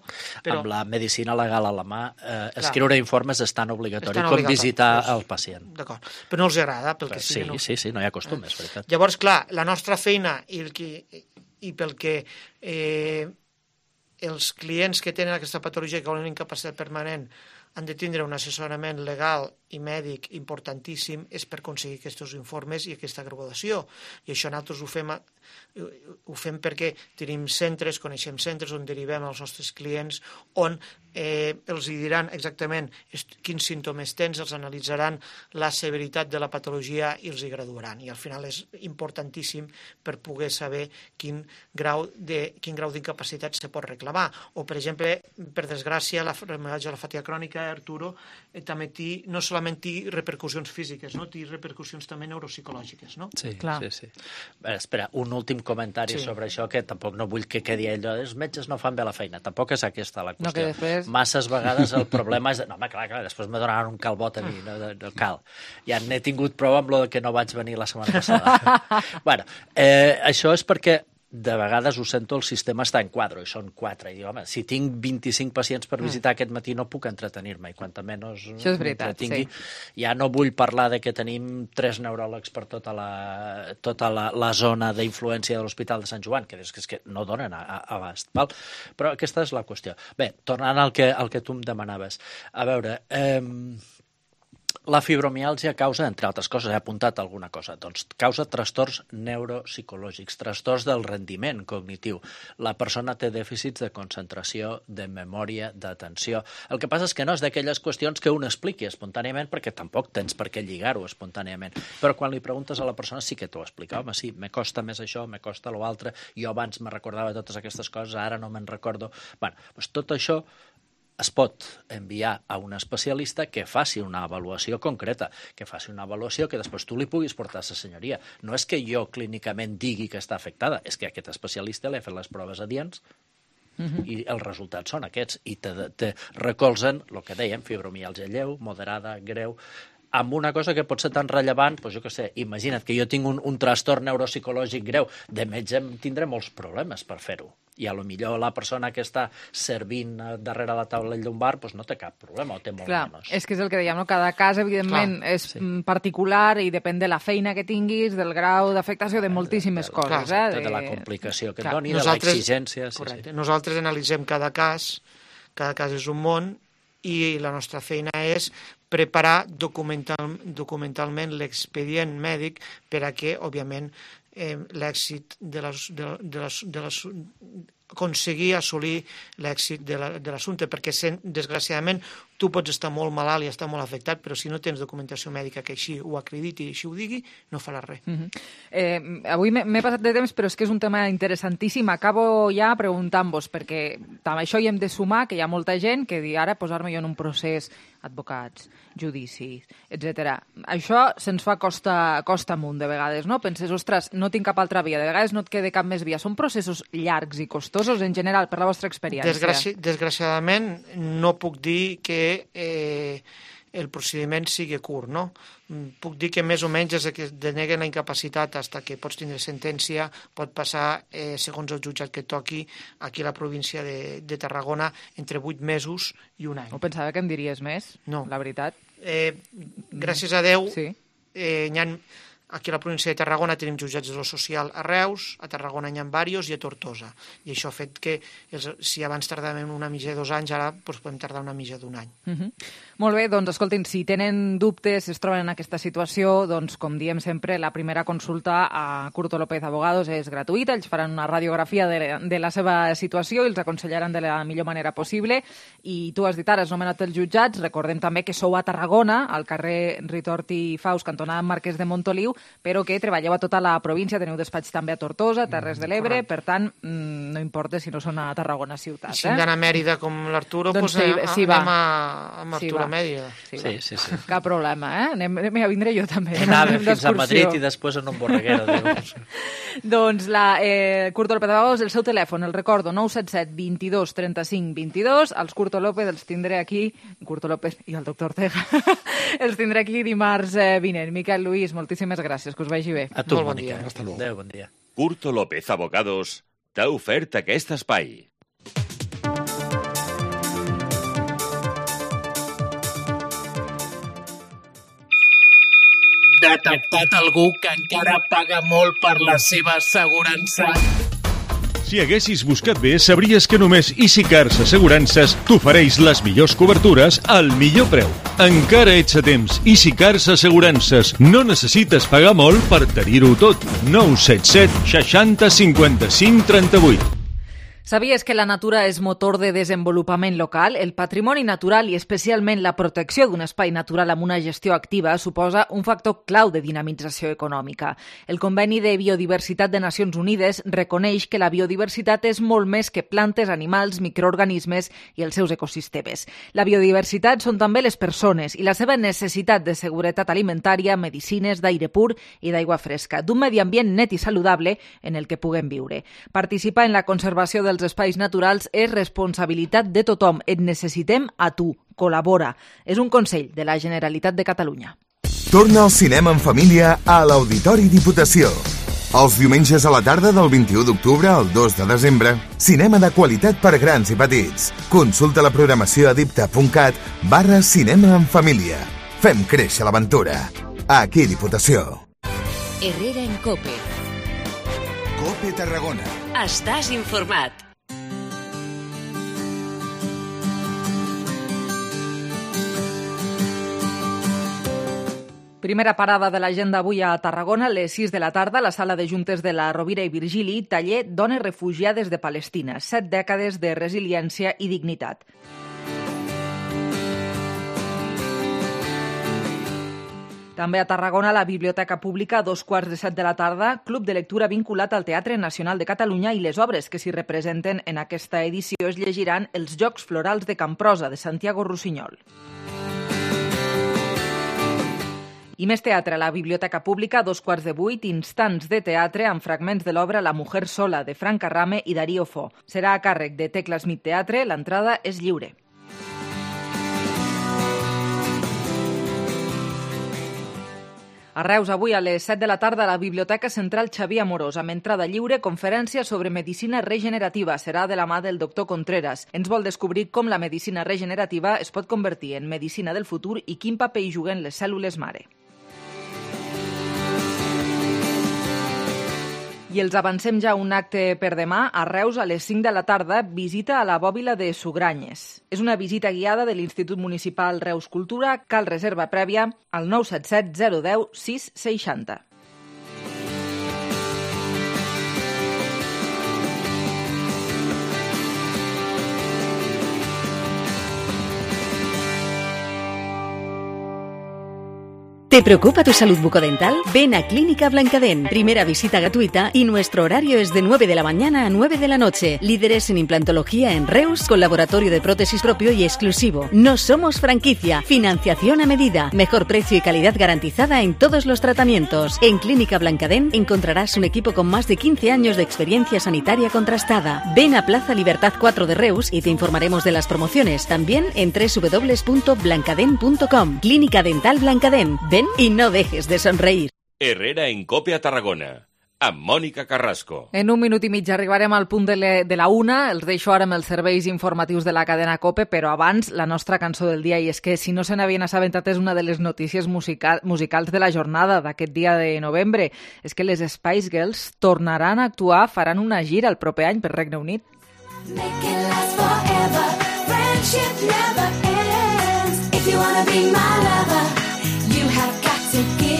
Però... Amb la medicina legal a la mà, eh, escriure Clar. informes és tan obligatori és tan com obligatori. visitar pues, el pacient. D'acord, però no els agrada. Perquè sí, sí, no... sí, sí, no hi ha costum, és veritat. Llavors, clar, la nostra feina i el que... i pel que eh, els clients que tenen aquesta patologia que volen una incapacitat permanent han de tindre un assessorament legal i mèdic importantíssim és per aconseguir aquests informes i aquesta graduació. I això nosaltres ho fem, ho fem perquè tenim centres, coneixem centres on derivem els nostres clients, on eh, els diran exactament quins símptomes tens, els analitzaran la severitat de la patologia i els hi graduaran. I al final és importantíssim per poder saber quin grau de, quin grau d'incapacitat se pot reclamar. O, per exemple, per desgràcia, la hemorràgia de la fatiga crònica, Arturo, eh, també té, no solament té repercussions físiques, no? Té repercussions també neuropsicològiques, no? Sí, Clar. sí, sí. Bé, espera, un últim comentari sí. sobre això, que tampoc no vull que quedi allò, els metges no fan bé la feina, tampoc és aquesta la qüestió. No, que després... Masses vegades el problema és... No, home, clar, clar, després me donaran un calbot a mi, no, no cal. Ja n'he tingut prou amb lo que no vaig venir la setmana passada. bueno, eh, això és perquè de vegades ho sento, el sistema està en quadre, i són quatre, i dic, home, si tinc vint-i-cinc pacients per visitar mm. aquest matí no puc entretenir-me, i quanta menys això és veritat, entretingui. Sí. Ja no vull parlar de que tenim tres neuròlegs per tota la, tota la, la zona d'influència de l'Hospital de Sant Joan, que és que, és que no donen a, a, abast, val? Però aquesta és la qüestió. Bé, tornant al que, al que tu em demanaves, a veure... Eh, La fibromiàlgia causa, entre altres coses, he apuntat alguna cosa, doncs causa trastorns neuropsicològics, trastorns del rendiment cognitiu. La persona té dèficits de concentració, de memòria, d'atenció. El que passa és que no és d'aquelles qüestions que un expliqui espontàniament, perquè tampoc tens per què lligar-ho espontàniament. Però quan li preguntes a la persona sí que t'ho explica. Home, sí, me costa més això, me costa l'altre, jo abans me recordava totes aquestes coses, ara no me'n recordo. Bé, doncs tot això es pot enviar a un especialista que faci una avaluació concreta, que faci una avaluació que després tu li puguis portar a sa senyoria. No és que jo clínicament digui que està afectada, és que aquest especialista li ha fet les proves adients uh-huh. i els resultats són aquests, i te, te recolzen el que dèiem, fibromiàlgia lleu, moderada, greu, amb una cosa que pot ser tan rellevant, doncs jo què sé, imagina't que jo tinc un, un trastorn neuropsicològic greu, de metge tindré molts problemes per fer-ho. I a lo millor la persona que està servint darrere la taula del llumbar doncs no té cap problema, o té molt Clar, menys. És que és el que dèiem, no? Cada cas, evidentment, Clar, és sí. particular i depèn de la feina que tinguis, del grau d'afectació, de moltíssimes de, de, coses. Clar, eh? de, de la complicació que et doni, de l'exigència. Sí, correcte. Sí. Nosaltres analitzem cada cas, cada cas és un món, i la nostra feina és preparar documental, documentalment l'expedient mèdic per a que, òbviament, eh, l'èxit de les, de, de les, de les, aconseguir assolir l'èxit de l'assumpte, perquè desgraciadament tu pots estar molt malalt i estar molt afectat, però si no tens documentació mèdica que així ho acrediti i així ho digui, no faràs res. Uh-huh. eh, avui m'he passat de temps, però és que és un tema interessantíssim. Acabo ja preguntant-vos, perquè amb això hi hem de sumar que hi ha molta gent que di ara posar-me jo en un procés, advocats, judicis, etcètera. Això se'ns fa costa, costa amunt de vegades, no? Penses, ostres, no tinc cap altra via, de vegades no et queda cap més via. Són processos llargs i costosos en general, per la vostra experiència? Desgraci desgraciadament no puc dir que eh, el procediment sigui curt, no? Puc dir que més o menys des que deneguen la incapacitat fins que pots tindre sentència pot passar, eh, segons el jutjat que toqui, aquí a la província de, de Tarragona, entre vuit mesos i un any. No pensava que em diries més, no. La veritat. Eh, gràcies a Déu, sí. eh, hi ha... Aquí a la província de Tarragona tenim jutjats de lo social a Reus, a Tarragona n'hi ha diversos i a Tortosa. I això ha fet que, els, si abans tardàvem una mitja de dos anys, ara doncs, podem tardar una mitja d'un any. Uh -huh. Molt bé, doncs escoltin, si tenen dubtes, si es troben en aquesta situació, doncs com diem sempre, la primera consulta a Curto López Abogados és gratuïta, ells faran una radiografia de, de la seva situació i els aconsellaran de la millor manera possible. I tu has dit ara, has nomenat els jutjats, recordem també que sou a Tarragona, al carrer Ritorti Faus, cantonada Marquès de Montoliu, però que treballeu a tota la província, teniu despatx també a Tortosa, Terres de l'Ebre, per tant, no importa si no són a Tarragona ciutat. I si hem d'anar a Mèrida com l'Arturo, doncs, doncs sí, sí, anem a, a Arturo a Mèrida. Sí, sí, sí, sí. Cap problema, eh? Anem, anem a vindré jo també. Anàvem fins a Madrid i després en un borreguero. Doncs la eh, Curto López Abogados, el seu telèfon, el recordo, nou set set, vint-i-dos, trenta-cinc, vint-i-dos. Els Curto López els tindré aquí, Curto López i el doctor Ortega, els tindré aquí dimarts eh, vinent. Miquel, Luis, moltíssimes gràcies, que us vagi bé. A tu, Molt bon Mònica. Dia. Hasta luego. Adéu, bon dia. Curto López Abogados t'ha ofert aquest espai. Detectat algú que encara paga molt per la seva assegurança? Si haguessis buscat bé, sabries que només EasyCars Assegurances t'ofereix les millors cobertures al millor preu. Encara ets a temps. EasyCars Assegurances. No necessites pagar molt per tenir-ho tot. nou set set seixanta cinquanta-cinc trenta-vuit. Sabies que la natura és motor de desenvolupament local? El patrimoni natural i especialment la protecció d'un espai natural amb una gestió activa suposa un factor clau de dinamització econòmica. El Conveni de Biodiversitat de Nacions Unides reconeix que la biodiversitat és molt més que plantes, animals, microorganismes i els seus ecosistemes. La biodiversitat són també les persones i la seva necessitat de seguretat alimentària, medicines, d'aire pur i d'aigua fresca, d'un medi ambient net i saludable en el que puguem viure. Participar en la conservació dels espais naturals és responsabilitat de tothom. Et necessitem a tu. Col·labora. És un consell de la Generalitat de Catalunya. Torna al cinema en família a l'Auditori Diputació. Els diumenges a la tarda del vint-i-u d'octubre al dos de desembre, cinema de qualitat per grans i petits. Consulta la programació a dipta.cat barra cinema en família. Fem créixer l'aventura. Aquí Diputació. Herrera en Cope. Cope Tarragona. Estàs informat. Primera parada de l'agenda avui a Tarragona, a les sis de la tarda, a la sala de juntes de la Rovira i Virgili, taller Dones refugiades de Palestina, set dècades de resiliència i dignitat. També a Tarragona, la Biblioteca Pública, a dos quarts de set de la tarda, club de lectura vinculat al Teatre Nacional de Catalunya i les obres que s'hi representen en aquesta edició es llegiran Els Jocs Florals de Camprosa, de Santiago Rossinyol. I més teatre a la Biblioteca Pública, a dos quarts de vuit, instants de teatre amb fragments de l'obra La mujer sola, de Frank Carrame i Darío Fo. Serà a càrrec de Tecla Smith Teatre, l'entrada és lliure. A Reus, avui a les set de la tarda, a la Biblioteca Central Xavier Amorós, amb entrada lliure, conferència sobre medicina regenerativa. Serà de la mà del doctor Contreras. Ens vol descobrir com la medicina regenerativa es pot convertir en medicina del futur i quin paper hi juguen les cèl·lules mare. I els avancem ja un acte per demà. A Reus, a les cinc de la tarda, visita a la bòbila de Sugranyes. És una visita guiada de l'Institut Municipal Reus Cultura. Cal reserva prèvia al nou set set zero deu sis seixanta. ¿Te preocupa tu salud bucodental? Ven a Clínica Blancadén. Primera visita gratuita y nuestro horario es de nueve de la mañana a nueve de la noche. Líderes en implantología en Reus, con laboratorio de prótesis propio y exclusivo. No somos franquicia. Financiación a medida. Mejor precio y calidad garantizada en todos los tratamientos. En Clínica Blancadén encontrarás un equipo con más de quince años de experiencia sanitaria contrastada. Ven a Plaza Libertad cuatro de Reus y te informaremos de las promociones. También en doble u doble u doble u punto blancadén punto com. Clínica Dental Blancadén. Ven y no dejes de sonreír. Herrera en Cope a Tarragona, amb Mònica Carrasco. En un minut i mig arribarem al punt de, le, de la una. Els deixo ara amb els serveis informatius de la cadena Cope, però abans la nostra cançó del dia, i és que si no se n'havien assabentat és una de les notícies musical, musicals de la jornada d'aquest dia de novembre. És que les Spice Girls tornaran a actuar, faran una gira el proper any per Regne Unit. Make it last forever. Friendship never ends. If you wanna be my lover, you have got to give.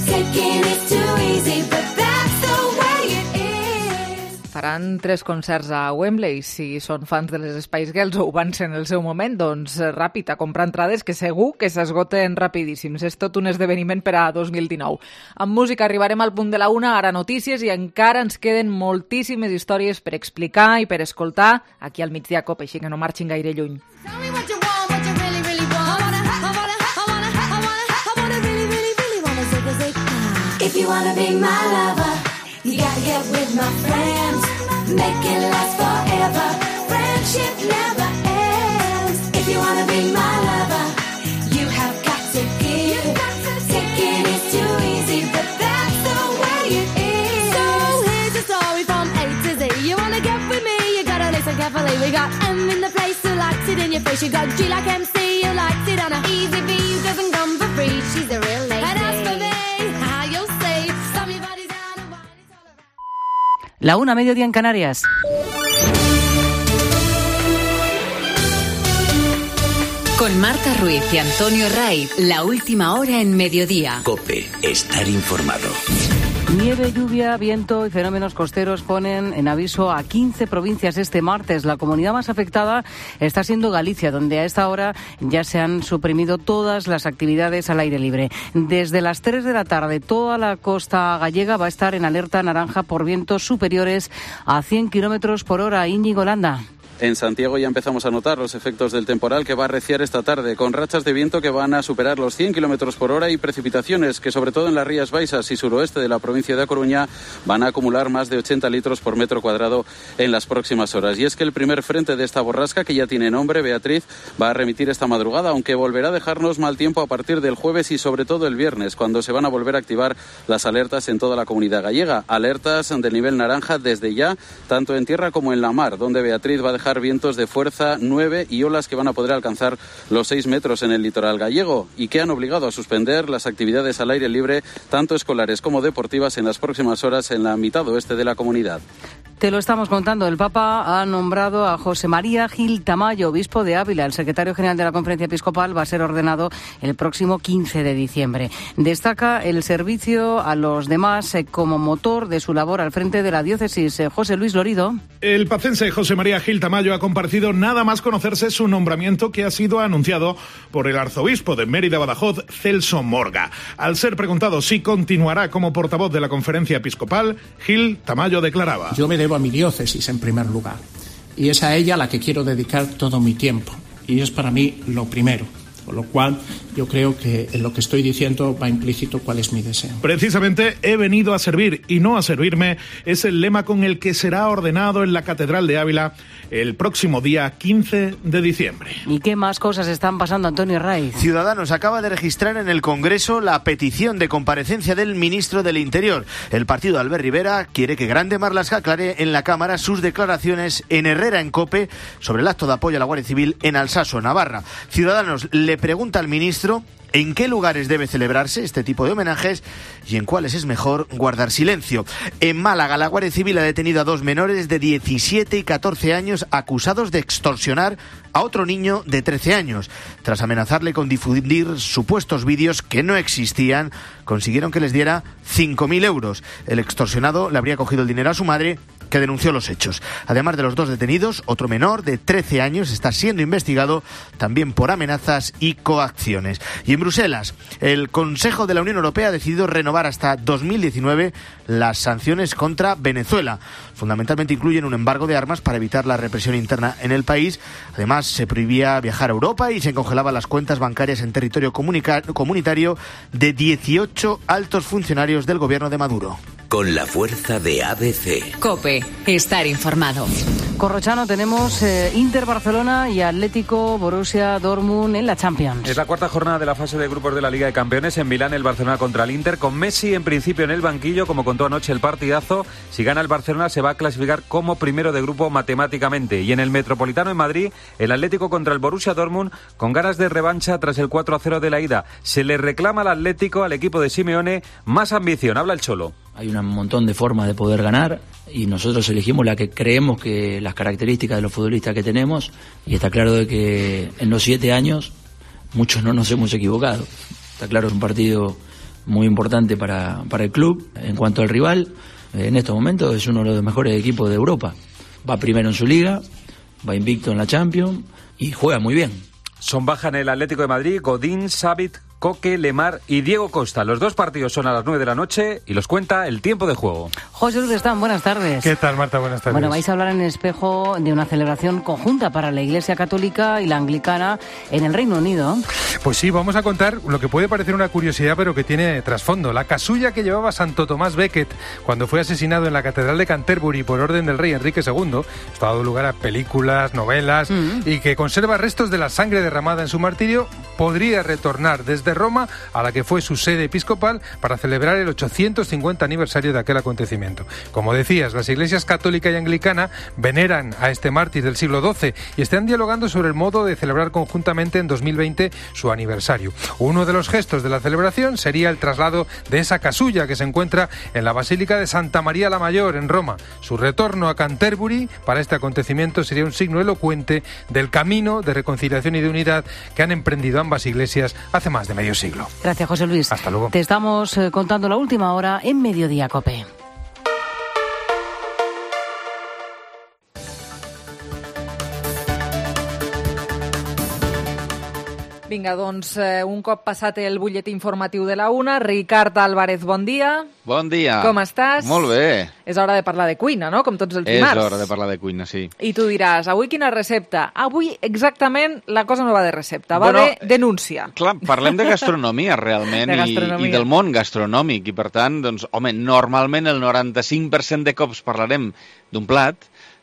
Taking is too easy, but that's the way it is. Faran tres concerts a Wembley. Si són fans de les Spice Girls o ho van ser en el seu moment, doncs ràpid, a comprar entrades, que segur que s'esgoten rapidíssims. És tot un esdeveniment per a dos mil dinou. Amb música arribarem al punt de la una, ara notícies, i encara ens queden moltíssimes històries per explicar i per escoltar aquí al Migdia Cope, així que no marxin gaire lluny. If you wanna be my lover, you gotta get with my friends. Make it last forever. Friendship never ends. If you wanna be my lover, you have got to give. Taking is too easy, but that's the way it is. So here's the story from A to Z. You wanna get with me, you gotta listen carefully. We got M in the place who likes it in your face. You got G like M C who likes it on a easy V who doesn't come for free. She's a real lady. And as for me, La una, mediodía en Canarias. Con Marta Ruiz y Antonio Raiz, la última hora en mediodía. COPE, estar informado. Nieve, lluvia, viento y fenómenos costeros ponen en aviso a quince provincias este martes. La comunidad más afectada está siendo Galicia, donde a esta hora ya se han suprimido todas las actividades al aire libre. Desde las tres de la tarde, toda la costa gallega va a estar en alerta naranja por vientos superiores a cien kilómetros por hora. Íñigo Landa. En Santiago ya empezamos a notar los efectos del temporal que va a arreciar esta tarde, con rachas de viento que van a superar los cien kilómetros por hora y precipitaciones que, sobre todo en las Rías Baixas y suroeste de la provincia de A Coruña, van a acumular más de ochenta litros por metro cuadrado en las próximas horas. Y es que el primer frente de esta borrasca, que ya tiene nombre, Beatriz, va a remitir esta madrugada, aunque volverá a dejarnos mal tiempo a partir del jueves y sobre todo el viernes, cuando se van a volver a activar las alertas en toda la comunidad gallega. Alertas de nivel naranja desde ya, tanto en tierra como en la mar, donde Beatriz va a dejar vientos de fuerza nueve y olas que van a poder alcanzar los seis metros en el litoral gallego y que han obligado a suspender las actividades al aire libre, tanto escolares como deportivas, en las próximas horas en la mitad oeste de la comunidad. Te lo estamos contando. El Papa ha nombrado a José María Gil Tamayo, obispo de Ávila. El secretario general de la Conferencia Episcopal va a ser ordenado el próximo quince de diciembre. Destaca el servicio a los demás como motor de su labor al frente de la diócesis. José Luis Lorido. El pacense José María Gil Tamayo ha comparecido nada más conocerse su nombramiento, que ha sido anunciado por el arzobispo de Mérida-Badajoz, Celso Morga. Al ser preguntado si continuará como portavoz de la Conferencia Episcopal, Gil Tamayo declaraba: Yo me debo a mi diócesis en primer lugar, y es a ella a la que quiero dedicar todo mi tiempo, y es para mí lo primero. Con lo cual, yo creo que en lo que estoy diciendo va implícito cuál es mi deseo. Precisamente, he venido a servir y no a servirme, es el lema con el que será ordenado en la Catedral de Ávila el próximo día quince de diciembre. ¿Y qué más cosas están pasando, Antonio Raiz? Ciudadanos acaba de registrar en el Congreso la petición de comparecencia del ministro del Interior. El partido de Albert Rivera quiere que Grande Marlaska aclare en la Cámara sus declaraciones en Herrera en COPE sobre el acto de apoyo a la Guardia Civil en Alsaso, Navarra. Ciudadanos le pregunta al ministro en qué lugares debe celebrarse este tipo de homenajes y en cuáles es mejor guardar silencio. En Málaga, la Guardia Civil ha detenido a dos menores de diecisiete y catorce años acusados de extorsionar a otro niño de trece años. Tras amenazarle con difundir supuestos vídeos que no existían, consiguieron que les diera cinco mil euros. El extorsionado le habría cogido el dinero a su madre, que denunció los hechos. Además de los dos detenidos, otro menor de trece años está siendo investigado también por amenazas y coacciones. Y en Bruselas, el Consejo de la Unión Europea ha decidido renovar hasta dos mil diecinueve las sanciones contra Venezuela. Fundamentalmente incluyen un embargo de armas para evitar la represión interna en el país. Además, se prohibía viajar a Europa y se congelaban las cuentas bancarias en territorio comunica- comunitario de dieciocho altos funcionarios del gobierno de Maduro. Con la fuerza de A B C. COPE, estar informado. Corrochano, tenemos eh, Inter Barcelona y Atlético Borussia Dortmund en la Champions. Es la cuarta jornada de la fase de grupos de la Liga de Campeones. En Milán, el Barcelona contra el Inter, con Messi en principio en el banquillo, como contó anoche el partidazo. Si gana el Barcelona, se va a clasificar como primero de grupo matemáticamente. Y en el Metropolitano, en Madrid, el Atlético contra el Borussia Dortmund, con ganas de revancha tras el cuatro a cero de la ida. Se le reclama al Atlético, al equipo de Simeone, más ambición. Habla el Cholo. Hay un montón de formas de poder ganar y nosotros elegimos la que creemos que las características de los futbolistas que tenemos, y está claro de que en los siete años muchos no nos hemos equivocado. Está claro, es un partido muy importante para, para el club. En cuanto al rival, en estos momentos es uno de los mejores equipos de Europa. Va primero en su liga, va invicto en la Champions y juega muy bien. Son baja en el Atlético de Madrid Godín, Savit, Coque, Lemar y Diego Costa. Los dos partidos son a las nueve de la noche y los cuenta el tiempo de juego. José Luis Están, buenas tardes. ¿Qué tal, Marta? Buenas tardes. Bueno, vais a hablar en Espejo de una celebración conjunta para la Iglesia Católica y la Anglicana en el Reino Unido. Pues sí, vamos a contar lo que puede parecer una curiosidad, pero que tiene trasfondo. La casulla que llevaba Santo Tomás Becket cuando fue asesinado en la Catedral de Canterbury por orden del rey Enrique segundo. Esto ha dado lugar a películas, novelas, mm. y que conserva restos de la sangre derramada en su martirio, podría retornar desde Roma, a la que fue su sede episcopal, para celebrar el ochocientos cincuenta aniversario de aquel acontecimiento. Como decías, las iglesias católica y anglicana veneran a este mártir del siglo doce y están dialogando sobre el modo de celebrar conjuntamente en dos mil veinte su aniversario. Uno de los gestos de la celebración sería el traslado de esa casulla que se encuentra en la Basílica de Santa María la Mayor, en Roma. Su retorno a Canterbury para este acontecimiento sería un signo elocuente del camino de reconciliación y de unidad que han emprendido ambas iglesias hace más de medio siglo. Gracias, José Luis. Hasta luego. Te estamos eh, contando la última hora en Mediodía Cope. Vinga, doncs, eh, un cop passat el butlletí informatiu de la una, Ricard Álvarez, bon dia. Bon dia. Com estàs? Molt bé. És hora de parlar de cuina, no?, com tots els És dimarts. hora de parlar de cuina, sí. I tu diràs, avui quina recepta? Avui exactament la cosa no va de recepta, va Bueno, de denúncia. Clar, parlem de gastronomia, realment, De i, gastronomia. i del món gastronòmic, i per tant, doncs, home, normalment el noranta-cinc per cent de cops parlarem d'un plat,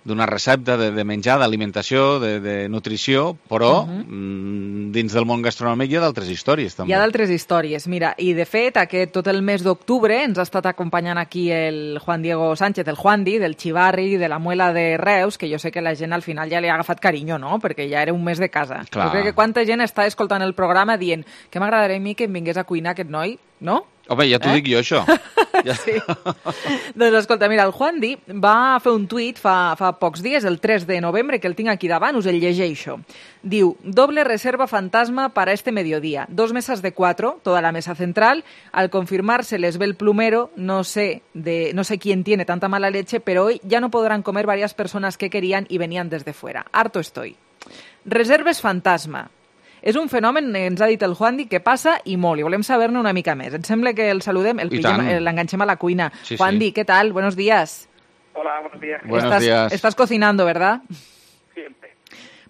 d'una recepta de, de menjar, d'alimentació, de, de nutrició, però uh -huh. mm, dins del món gastronòmic hi ha d'altres històries, també. Hi ha d'altres històries, mira, i de fet, aquest, tot el mes d'octubre ens ha estat acompanyant aquí el Juan Diego Sánchez, el Juandi, del Xivarri, de la Muela de Reus, que jo sé que la gent al final ja li ha agafat carinyo, no?, perquè ja era un mes de casa. Clar. Jo crec que quanta gent està escoltant el programa dient que m'agradaria a mi que em vingués a cuinar aquest noi, no? Home, ja t'ho Eh? dic jo, això. Sí. Doncs escolta, mira, el Juandi va fer un tuit fa, fa pocs dies, el tres de novembre, que el tinc aquí davant, us el llegeixo. Diu, doble reserva fantasma para este mediodía. Dos mesas de cuatro, toda la mesa central. Al confirmarse les ve el plumero, no sé, de, no sé quién tiene tanta mala leche, pero hoy ya no podrán comer varias personas que querían y venían desde fuera. Harto estoy. Reserves fantasma. És un fenomen, ens ha dit el Juandi, que passa i molt, i volem saber-ne una mica més. Ens sembla que el saludem, el I pillem, tant. l'enganxem a la cuina. Sí, Juandi, sí. ¿qué tal? Buenos días. Hola, buenos días. Buenos estás, días. Estás cocinando, ¿verdad? Siempre.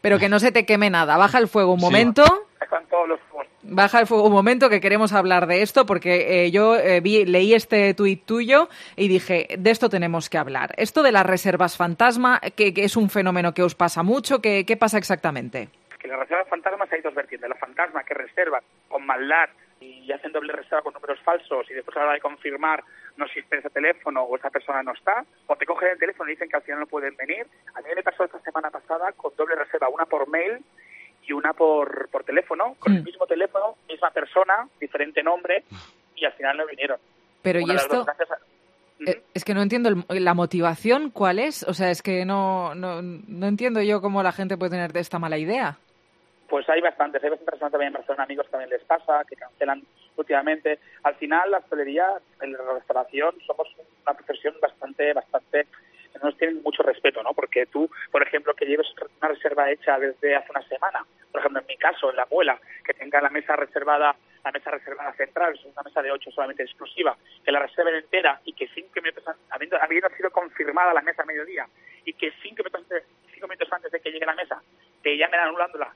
Pero que no se te queme nada. Baja el fuego un Sí. momento. Están todos los fuegos. Baja el fuego un momento, que queremos hablar de esto, porque eh, yo eh, vi, leí este tuit tuyo y dije, de esto tenemos que hablar. Esto de las reservas fantasma, que, que es un fenómeno que os pasa mucho, ¿qué, qué pasa exactamente? Que las reservas fantasmas hay dos vertientes. Las fantasmas que reservan con maldad y hacen doble reserva con números falsos y después a la hora de confirmar no existe ese teléfono o esa persona no está, o te cogen el teléfono y dicen que al final no pueden venir. A mí me pasó esta semana pasada con doble reserva, una por mail y una por, por teléfono, con Mm. el mismo teléfono, misma persona, diferente nombre, y al final no vinieron. Pero Una ¿y de las esto? dos, gracias a- Eh, Es que no entiendo el- la motivación, ¿cuál es? O sea, es que no, no, no entiendo yo cómo la gente puede tener esta mala idea. Pues hay bastantes, hay bastantes personas también en Barcelona, amigos también les pasa, que cancelan últimamente. Al final, la hostelería, en la restauración, somos una profesión bastante, bastante, que nos tienen mucho respeto, ¿no? Porque tú, por ejemplo, que lleves una reserva hecha desde hace una semana, por ejemplo, en mi caso, en la Muela, que tenga la mesa reservada, la mesa reservada central, es una mesa de ocho solamente exclusiva, que la reserven entera y que cinco minutos, an- habiendo, habiendo sido confirmada la mesa a mediodía, y que cinco minutos antes, cinco minutos antes de que llegue la mesa, te llamen anulándola,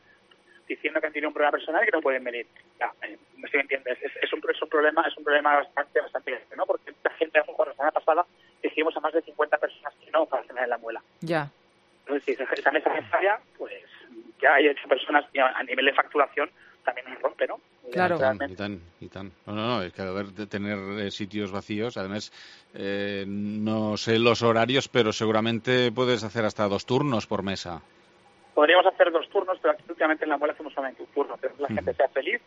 diciendo que han tenido un problema personal y que no pueden venir. Ya, eh, no sé si me entiendes. Es, es, un, es un problema, es un problema bastante, bastante grande, ¿no? Porque la gente, a lo mejor la semana pasada, dijimos a más de cincuenta personas que no para cenar en la Muela. Ya. Entonces, si esa, esa mesa me falla, pues ya hay ocho personas y a, a nivel de facturación también nos rompe, ¿no? Claro. Y tant, y tant, y tant. No, no, no, es que haber de tener eh, sitios vacíos, además, eh, no sé los horarios, pero seguramente puedes hacer hasta dos turnos por mesa. Podríamos hacer dos turnos, pero aquí últimamente en la Muela hacemos solamente un turno. Queremos que la gente sea feliz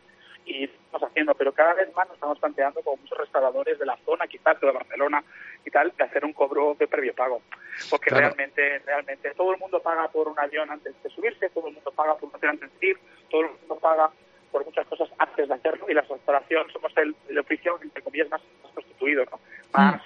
y estamos haciendo, pero cada vez más nos estamos planteando con muchos restauradores de la zona, quizás de Barcelona y tal, de hacer un cobro de previo pago. Porque Claro. realmente, realmente todo el mundo paga por un avión antes de subirse, todo el mundo paga por un hotel antes de ir, todo el mundo paga por muchas cosas antes de hacerlo, y la restauración somos el, el oficio, entre comillas, más, más constituido, ¿no? Más,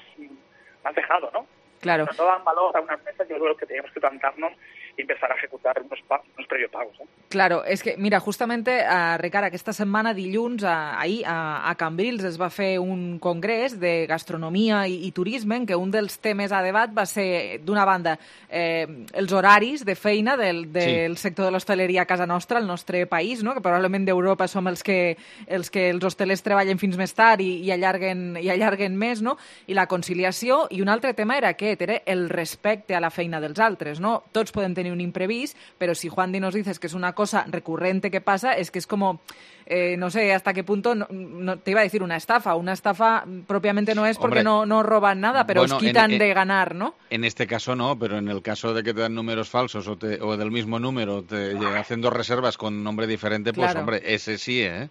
más dejado, ¿no? Claro. Pero no dan valor a unas mesas, yo creo que tenemos que plantarnos y empezar a ejecutar unos, pa unos previo pagos, ¿eh? Claro, és que, mira, justamente, uh, Ricard, aquesta setmana, dilluns, uh, ahir, a, a Cambrils es va fer un congrés de gastronomia i, i turisme en què un dels temes a debat va ser, d'una banda, eh, els horaris de feina del, del sí. sector de l'hostaleria a casa nostra, al nostre país, no? Que probablement d'Europa som els que, els que els hostelers treballen fins més tard i, i, allarguen, i allarguen més, no? I la conciliació, i un altre tema era aquest, era el respecte a la feina dels altres, no? Tots podem tenir un imprevist, però si Juan Di nos dices que és una cosa cosa recurrente que pasa es que es como, eh, no sé hasta qué punto, no, no, te iba a decir una estafa, una estafa propiamente no es porque Hombre, no, no roban nada, pero bueno, os quitan en, en, de ganar, ¿no? En este caso no, pero en el caso de que te dan números falsos o, te, o del mismo número, te hacen dos reservas con nombre diferente, pues claro. hombre, ese sí, ¿eh?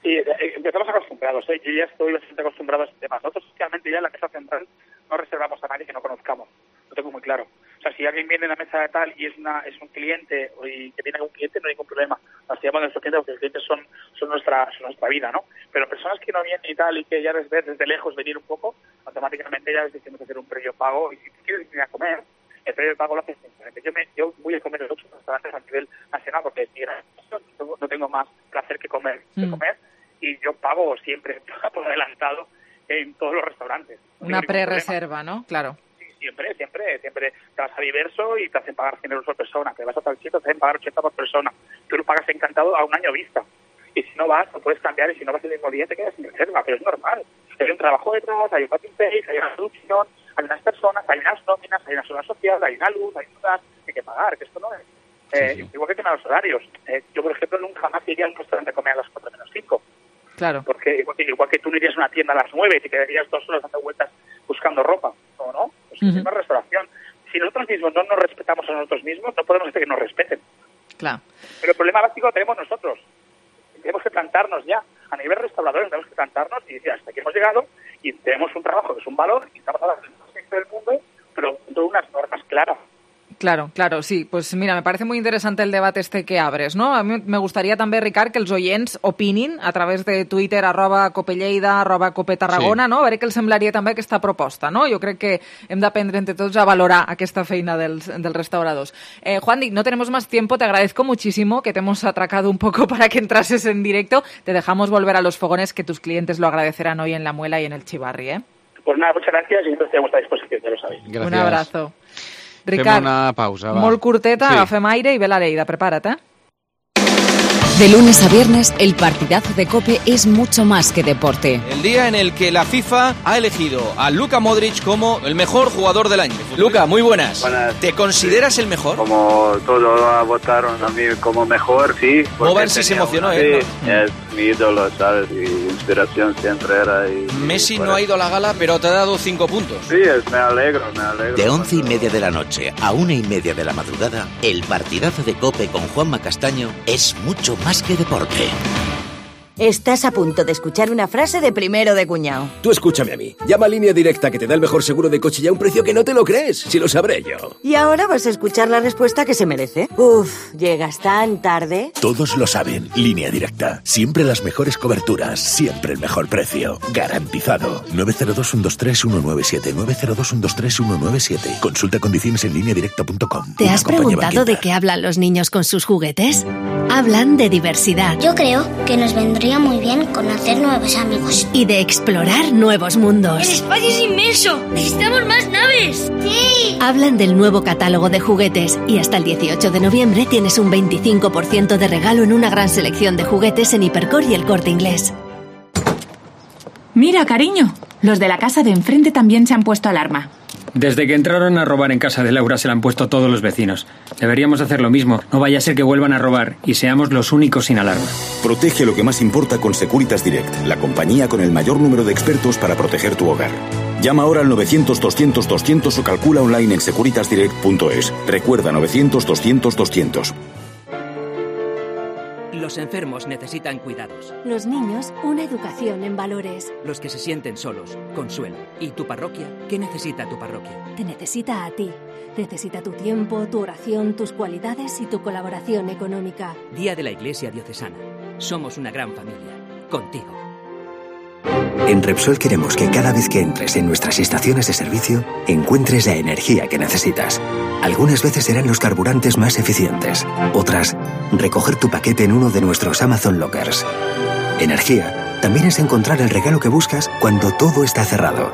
Sí, empezamos acostumbrados, ¿eh? Yo ya estoy bastante acostumbrado a este tema. Nosotros, socialmente, ya en la mesa central no reservamos a nadie que no conozcamos. Lo tengo muy claro. O sea, si alguien viene a la mesa de tal y es una es un cliente y que viene un cliente, no hay ningún problema. Nos llamamos a nuestros clientes porque los clientes son, son, nuestra, son nuestra vida, ¿no? Pero personas que no vienen y tal y que ya les ves desde lejos venir un poco, automáticamente ya les decimos hacer un previo pago. Y si quieres venir a comer, el previo pago lo haces simplemente. Yo, me, yo voy a comer en otros restaurantes a nivel nacional porque no, no tengo más placer que comer, que Mm. comer. Y yo pago siempre por adelantado en todos los restaurantes. No Una pre-reserva, ¿no? Claro. Sí, siempre, siempre, siempre te vas a Diverso y te hacen pagar cien euros por persona. Te vas a tal sitio, te hacen pagar ochenta por persona. Tú lo pagas encantado a un año vista. Y si no vas, lo puedes cambiar y si no vas el mismo día te quedas sin reserva. Pero es normal. Hay un trabajo detrás, hay un copy paste, hay una producción, hay unas personas, hay unas nóminas, hay una seguridad social, hay una luz, hay un gas que hay que pagar, que esto no es. Eh, sí, sí. Igual que tema de los horarios. Eh, yo, por ejemplo, nunca más iría a un restaurante a comer a las cuatro menos cinco. Claro. Porque igual que, igual que tú no irías a una tienda a las nueve y te quedarías dos horas dando vueltas buscando ropa, ¿no? ¿no? Pues uh-huh. es una restauración. Si nosotros mismos no nos respetamos a nosotros mismos, no podemos hacer que nos respeten. Claro. Pero el problema básico lo tenemos nosotros. Tenemos que plantarnos ya. A nivel restauradores tenemos que plantarnos y decir, hasta aquí hemos llegado y tenemos un trabajo que es un valor y estamos a la gente del mundo, pero con unas normas claras. Claro, claro, sí. Pues mira, me parece muy interesante el debate este que abres, no? A mi me gustaria també, Ricard, que els oients opinin a través de Twitter, arroba copelleida, arroba copetarragona, sí. no? A veure què els semblaria també aquesta proposta, no? Jo crec que hem d'aprendre entre tots a valorar aquesta feina dels, dels restauradors. Eh, Juandi, no tenemos más tiempo, te agradezco muchísimo que te hemos atracado un poco para que entrases en directo. Te dejamos volver a los fogones, que tus clientes lo agradecerán hoy en La Muela y en el Chivarri, ¿eh? Pues nada, muchas gracias y estoy a vuestra disposición, ya lo sabéis. Gracias. Un abrazo. Ricard, fem una pausa, va. Molt curteta, sí. Agafem aire i ve la Leida, prepara't, eh? De lunes a viernes, el partidazo de COPE es mucho más que deporte. El día en el que la FIFA ha elegido a Luka Modric como el mejor jugador del año. Luka, muy buenas. Buenas. ¿Te consideras el mejor? Como todos votaron a mí como mejor, sí. Moban sí se emocionó, una... ¿eh? Sí, ¿no? Es mi ídolo, ¿sabes? Y inspiración siempre era. Y, Messi y no ha ido a la gala, pero te ha dado cinco puntos. Sí, es, me alegro, me alegro. De once y media de la noche a una y media de la madrugada, el partidazo de COPE con Juanma Castaño es mucho más que deporte. Estás a punto de escuchar una frase de primero de cuñado. Tú escúchame a mí. Llama a Línea Directa, que te da el mejor seguro de coche y a un precio que no te lo crees. Si lo sabré yo. Y ahora vas a escuchar la respuesta que se merece. Uf, llegas tan tarde. Todos lo saben. Línea Directa. Siempre las mejores coberturas. Siempre el mejor precio. Garantizado. nueve cero dos, uno dos tres, uno nueve siete. nueve cero dos, uno dos tres, uno nueve siete. Consulta condiciones en línea directa punto com. ¿Te has preguntado de qué hablan los niños con sus juguetes? Hablan de diversidad. Yo creo que nos vendría muy bien conocer nuevos amigos. Y de explorar nuevos mundos. ¡El espacio es inmenso! ¡Necesitamos más naves! ¡Sí! Hablan del nuevo catálogo de juguetes y hasta el dieciocho de noviembre tienes un veinticinco por ciento de regalo en una gran selección de juguetes en Hipercor y El Corte Inglés. Mira, cariño, los de la casa de enfrente también se han puesto alarma. Desde que entraron a robar en casa de Laura se la han puesto todos los vecinos. Deberíamos hacer lo mismo. No vaya a ser que vuelvan a robar y seamos los únicos sin alarma. Protege lo que más importa con Securitas Direct, la compañía con el mayor número de expertos para proteger tu hogar. Llama ahora al novecientos, doscientos, doscientos o calcula online en securitas direct punto es. Recuerda novecientos, doscientos, doscientos. Los enfermos necesitan cuidados. Los niños, una educación en valores. Los que se sienten solos, consuelo. ¿Y tu parroquia? ¿Qué necesita tu parroquia? Te necesita a ti. Necesita tu tiempo, tu oración, tus cualidades y tu colaboración económica. Día de la Iglesia Diocesana. Somos una gran familia. Contigo. En Repsol queremos que cada vez que entres en nuestras estaciones de servicio encuentres la energía que necesitas. Algunas veces serán los carburantes más eficientes, otras, recoger tu paquete en uno de nuestros Amazon Lockers. Energía también es encontrar el regalo que buscas cuando todo está cerrado.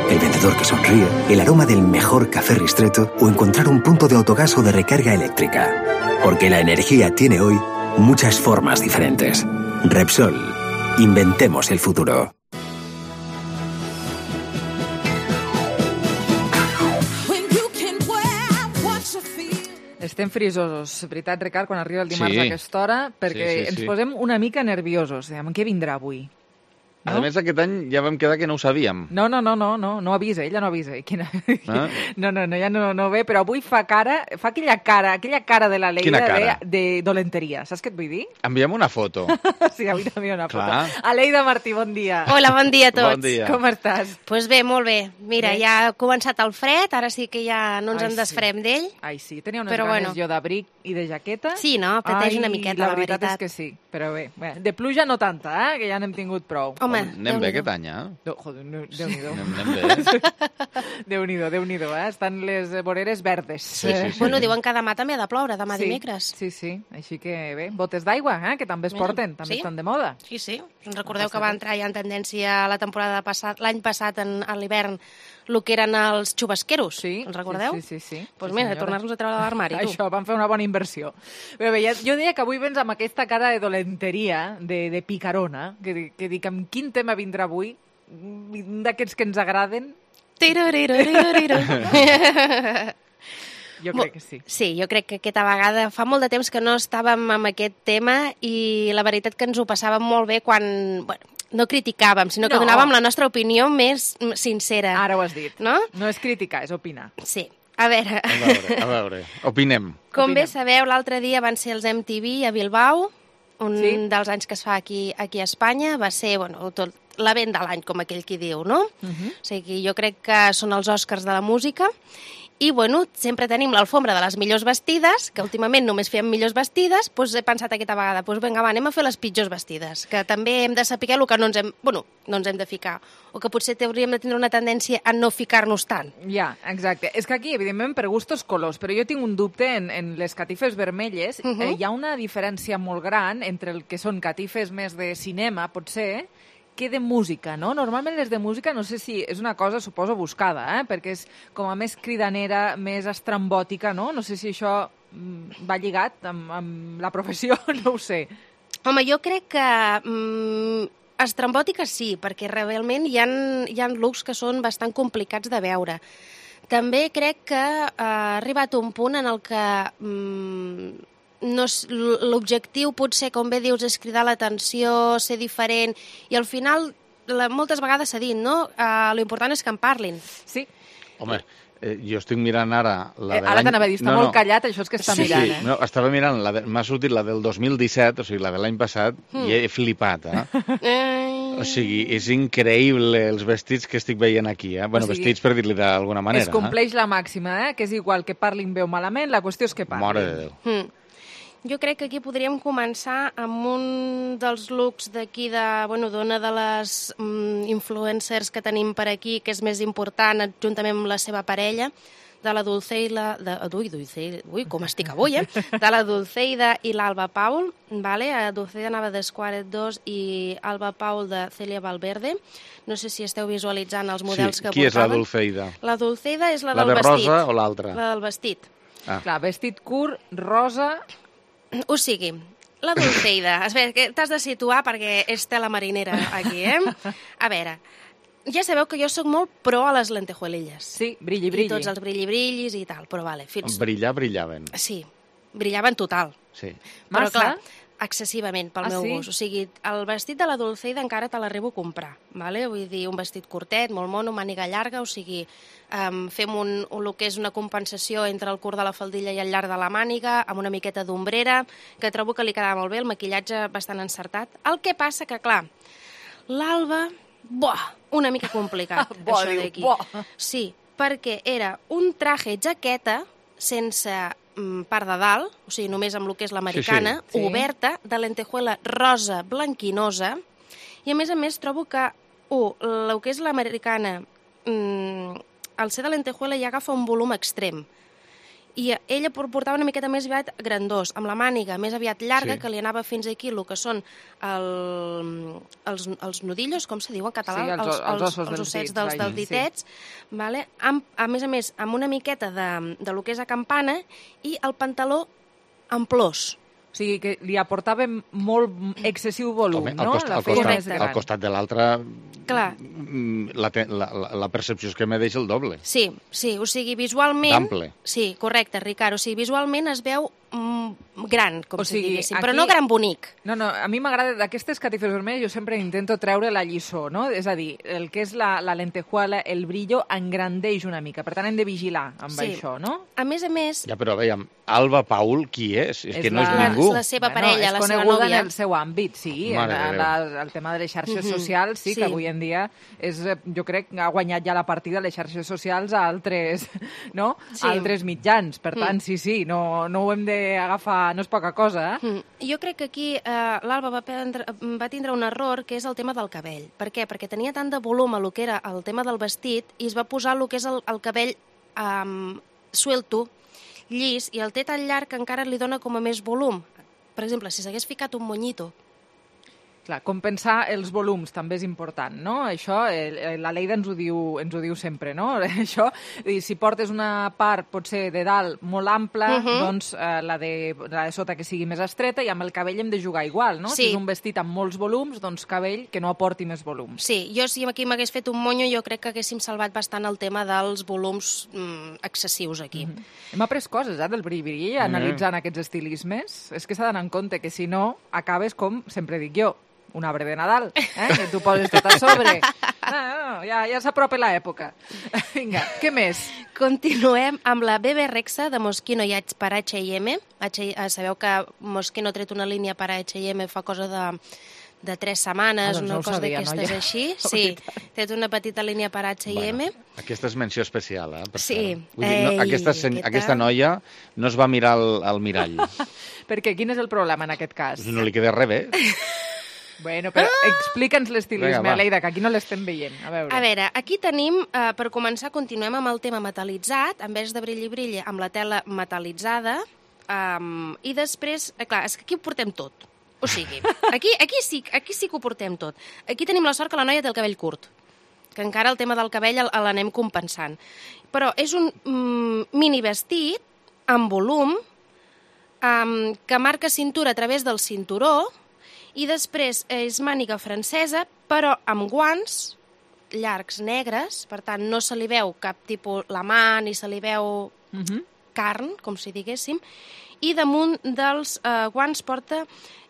El vendedor que sonríe, el aroma del mejor café Ristretto o encontrar un punto de autogas o de recarga eléctrica. Porque la energía tiene hoy muchas formas diferentes. Repsol. Inventemos el futuro. Este Estem frisosos, veritat, Ricard, quan arriba el dimarts Sí. a aquesta hora, perquè Sí, sí, ens sí. posem una mica nerviosos. Diem, què vindrà avui? A més, aquest any ja vam quedar que no ho sabíem. No, no, no, no, no, no avisa, ella no avisa. Quina... Ah? No, no, no, ja no, no ve, però avui fa cara, fa aquella cara, aquella cara de la Leida Quina cara? de, de dolenteria. Saps què et vull dir? Enviem una foto. Sí, avui també una foto. Clar. Aleida Martí, bon dia. Hola, bon dia a tots. Bon dia. Com estàs? Doncs pues bé, molt bé. Mira, Bé. ja ha començat el fred, ara sí que ja no ens Ai, en desfarem d'ell. Ai, sí, tenia unes Però ganes bueno. jo d'abric i de jaqueta. Sí, no? Pateix Ai, una miqueta, la la veritat. veritat. és que sí, però bé. bé. De pluja no tanta, eh? Que ja n'hem tingut prou. Home, Anem bé Déu-n'hi-do. aquest any, eh? No, joder, no, Déu-n'hi-do. Anem, anem bé. Déu-n'hi-do, Déu-n'hi-do, eh? Estan les voreres verdes. Sí, sí, sí. Bueno, diuen que demà també ha de ploure, demà sí, dimecres. Sí, sí, així que bé, botes d'aigua, eh? Que també es Bueno, porten, també sí. estan de moda. Sí, sí. Us recordeu No que va entrar ja en tendència la temporada passat, l'any passat, en, a l'hivern, el que eren els xubasqueros. Sí, Els recordeu? sí, sí, sí, sí. Doncs Sí, mira, senyora. tornar-nos a treure de l'armari, tu. Això, van fer una bona inversió. Però bé, ja, jo deia que avui vens amb aquesta cara de dolenteria, de, de picarona, que, que dic, amb quin tema vindrà avui? Un d'aquests que ens agraden? Tiroriroriroriro. Jo crec que sí. Sí, jo crec que aquesta vegada fa molt de temps que no estàvem amb aquest tema i la veritat que ens ho passàvem molt bé quan... Bueno, no criticàvem, sinó que No. donàvem la nostra opinió més sincera. Ara ho has dit. No? No és criticar, és opinar. Sí. A veure, A veure, a veure. Opinem. com bé Opinem. sabeu, l'altre dia van ser els M T V a Bilbao, un Sí. dels anys que es fa aquí, aquí a Espanya. Va ser, bueno, tot l'event de l'any, com aquell qui diu, no? Uh-huh. O sigui, jo crec que són els Oscars de la música. I, bueno, sempre tenim l'alfombra de les millors vestides, que últimament només fèiem millors vestides, doncs he pensat aquesta vegada, doncs vinga, va, anem a fer les pitjors vestides, que també hem de saber el que no ens hem, bueno, no ens hem de ficar, o que potser hauríem de tindre una tendència a no ficar-nos tant. Ja, exacte. És que aquí, evidentment, per gustos colors, però jo tinc un dubte en, en les catifes vermelles. Uh-huh. eh, hi ha una diferència molt gran entre el que són catifes més de cinema, potser, que de música, no? Normalment les de música, no sé si és una cosa, suposo, buscada, eh? Perquè és com a més cridanera, més estrambòtica, no? No sé si això mm, va lligat amb, amb la professió, no ho sé. Home, jo crec que mm, estrambòtiques sí, perquè realment hi ha, hi ha looks que són bastant complicats de veure. També crec que eh, ha arribat un punt en el que mm, no és- l'objectiu potser, com bé dius, és cridar l'atenció, ser diferent, i al final la, moltes vegades s'ha dit, no? Uh, lo important és que en parlin. Sí. Home, eh, jo estic mirant ara... La Eh, de ara l'any- t'anava a dir, està molt callat, això és que està sí, mirant, sí. eh? No, estava mirant, la de... m'ha sortit la del dos mil disset, o sigui, la de l'any passat, Mm. i he flipat, eh? Eh, O sigui, és increïble els vestits que estic veient aquí, eh? Bueno, O sigui, vestits per dir-li d'alguna manera. Es compleix la màxima, eh? Que és igual que parlin bé o malament, la qüestió és que eh? parlin. Mare de Déu. Mm. Jo crec que aquí podríem començar amb un dels looks d'aquí, de, bueno, d'una de les mm, influencers que tenim per aquí, que és més important, juntament amb la seva parella, de la Dulceida... De, ui, Dulceida, ui, com estic avui, eh? De la Dulceida i l'Alba Paul, vale? A Dulceida anava de Squared dos i Alba Paul de Celia Valverde. No sé si esteu visualitzant els models Sí, que qui és la portaven. Dulceida? La Dulceida és la, La del de vestit. rosa o l'altra? La del vestit. Ah. Clar, vestit curt, rosa... O sigui, la Dulceida, a veure, que t'has de situar perquè és tela marinera aquí, eh? A veure, ja sabeu que jo sóc molt pro a les lentejuelilles. Sí, brilli, brilli. I tots els brilli-brillis i tal, però vale, fins... Brillar, brillaven. Sí, brillaven total. Sí. Però Massa? clar, excessivament pel Ah, meu sí? gust. O sigui, el vestit de la Dulceida encara te l'arribo a comprar, vale? Vull dir, un vestit curtet, molt mono, màniga llarga, o sigui, um, fem un, un, el que és una compensació entre el curt de la faldilla i el llarg de la màniga, amb una miqueta d'ombrera, que trobo que li quedava molt bé, el maquillatge bastant encertat. El que passa que, clar, l'Alba, buah, una mica complicat, Buah, això diu, d'aquí. buah. Sí, perquè era un traje jaqueta sense mm, part de dalt, o sigui, només amb el que és l'americana, Sí, sí. Sí. oberta, de lentejuela rosa blanquinosa, i a més a més trobo que, un, el que és l'americana, mm, al ser de lentejuela ja agafa un volum extrem, i ella portava una miqueta més aviat grandós, amb la màniga més aviat llarga, Sí. que li anava fins aquí el que són el, els, els nudillos, com se diu en català? Sí, els- els ossos els dels ossets dits, dels, vaja, dels ditets, vale? amb, a més a més, amb una miqueta de, de lo que és a campana i el pantaló amb plors. O sigui, que li aportava molt excessiu volum, Home, no? Al costat, la al feina costat, més gran. al costat de l'altre, Clar. la, la, la percepció és que me deixa el doble. Sí, sí, o sigui, visualment... D'ample. Sí, correcte, Ricard. O sigui, visualment es veu mm, gran, com O si sigui, diguéssim, aquí- però no gran bonic. No, no, a mi m'agrada, d'aquestes catifes vermelles jo sempre intento treure la lliçó, no? És a dir, el que és la, la lentejuela, el brillo, engrandeix una mica. Per tant, hem de vigilar amb Sí. això, no? A més a més... Ja, però veiem, Alba Paul, qui és? És, que no és la- ningú. la seva parella, és la seva coneguda nòvia. en el seu àmbit, sí. Mare En, de en Déu. la, el tema de les xarxes Mhm. socials, sí, Sí. que avui en dia és, eh, jo crec, ha guanyat ja la partida les xarxes socials a altres, no? Sí. A altres mitjans. Per tant, Mm. sí, sí, no, no ho hem d'agafar, no és poca cosa, eh? Mm. Jo crec que aquí eh, l'Alba va, prendre, va tindre un error, que és el tema del cabell. Per què? Perquè tenia tant de volum a lo que era el tema del vestit i es va posar el que és el, el cabell um, suelto, llis, i el té tan llarg que encara li dona com a més volum. Per exemple, si s'hagués ficat un monyito... Clar, compensar els volums també és important, no? Això, eh, la Leida ens ho diu, ens ho diu sempre, no? Això, i si portes una part, potser de dalt, molt ampla, Uh -huh. doncs eh, la, de, la de sota que sigui més estreta, i amb el cabell hem de jugar igual, no? Sí. Si és un vestit amb molts volums, doncs cabell que no aporti més volums. Sí, jo si aquí m'hagués fet un monyo, jo crec que haguéssim salvat bastant el tema dels volums mm, excessius aquí. Mm -hmm. Hem après coses, eh, del bri-bri, analitzant aquests estilismes. És que s'ha d'anar en compte que si no, acabes com, sempre dic jo, un arbre de Nadal, eh? Que tu poses tot a sobre. No, no, no, ja, ja s'apropa l'època. Vinga, què més? Continuem amb la B B Rexa de Moschino i H per H i M. H, sabeu que Moschino ha tret una línia per H i M fa cosa de, de tres setmanes, Ah, doncs una no ho cosa sabia, d'aquestes noia. així. La Sí, veritat. ha tret una petita línia per H i M. Aquesta és menció especial, eh? Per Sí. cert. Vull dir, no, Ei, aquesta, sen- què tal? aquesta noia no es va mirar al, al mirall. Perquè quin és el problema en aquest cas? No li queda res bé. Bueno, però explica'ns Vinga, l'estilisme, va. Leida, que aquí no l'estem veient. A veure. A veure, aquí tenim, eh, per començar, continuem amb el tema metal·litzat, en vez de brilli-brilli, amb la tela metal·litzada, um, i després, eh, clar, és que aquí ho portem tot. O sigui, aquí, aquí, sí, aquí sí que ho portem tot. Aquí tenim la sort que la noia té el cabell curt, que encara el tema del cabell el- l'anem compensant. Però és un mm, mini vestit amb volum, um, que marca cintura a través del cinturó, i després és màniga francesa, però amb guants llargs negres, per tant no se li veu cap tipus la mà, ni se li veu Uh -huh. carn, com si diguéssim, i damunt dels eh, guants porta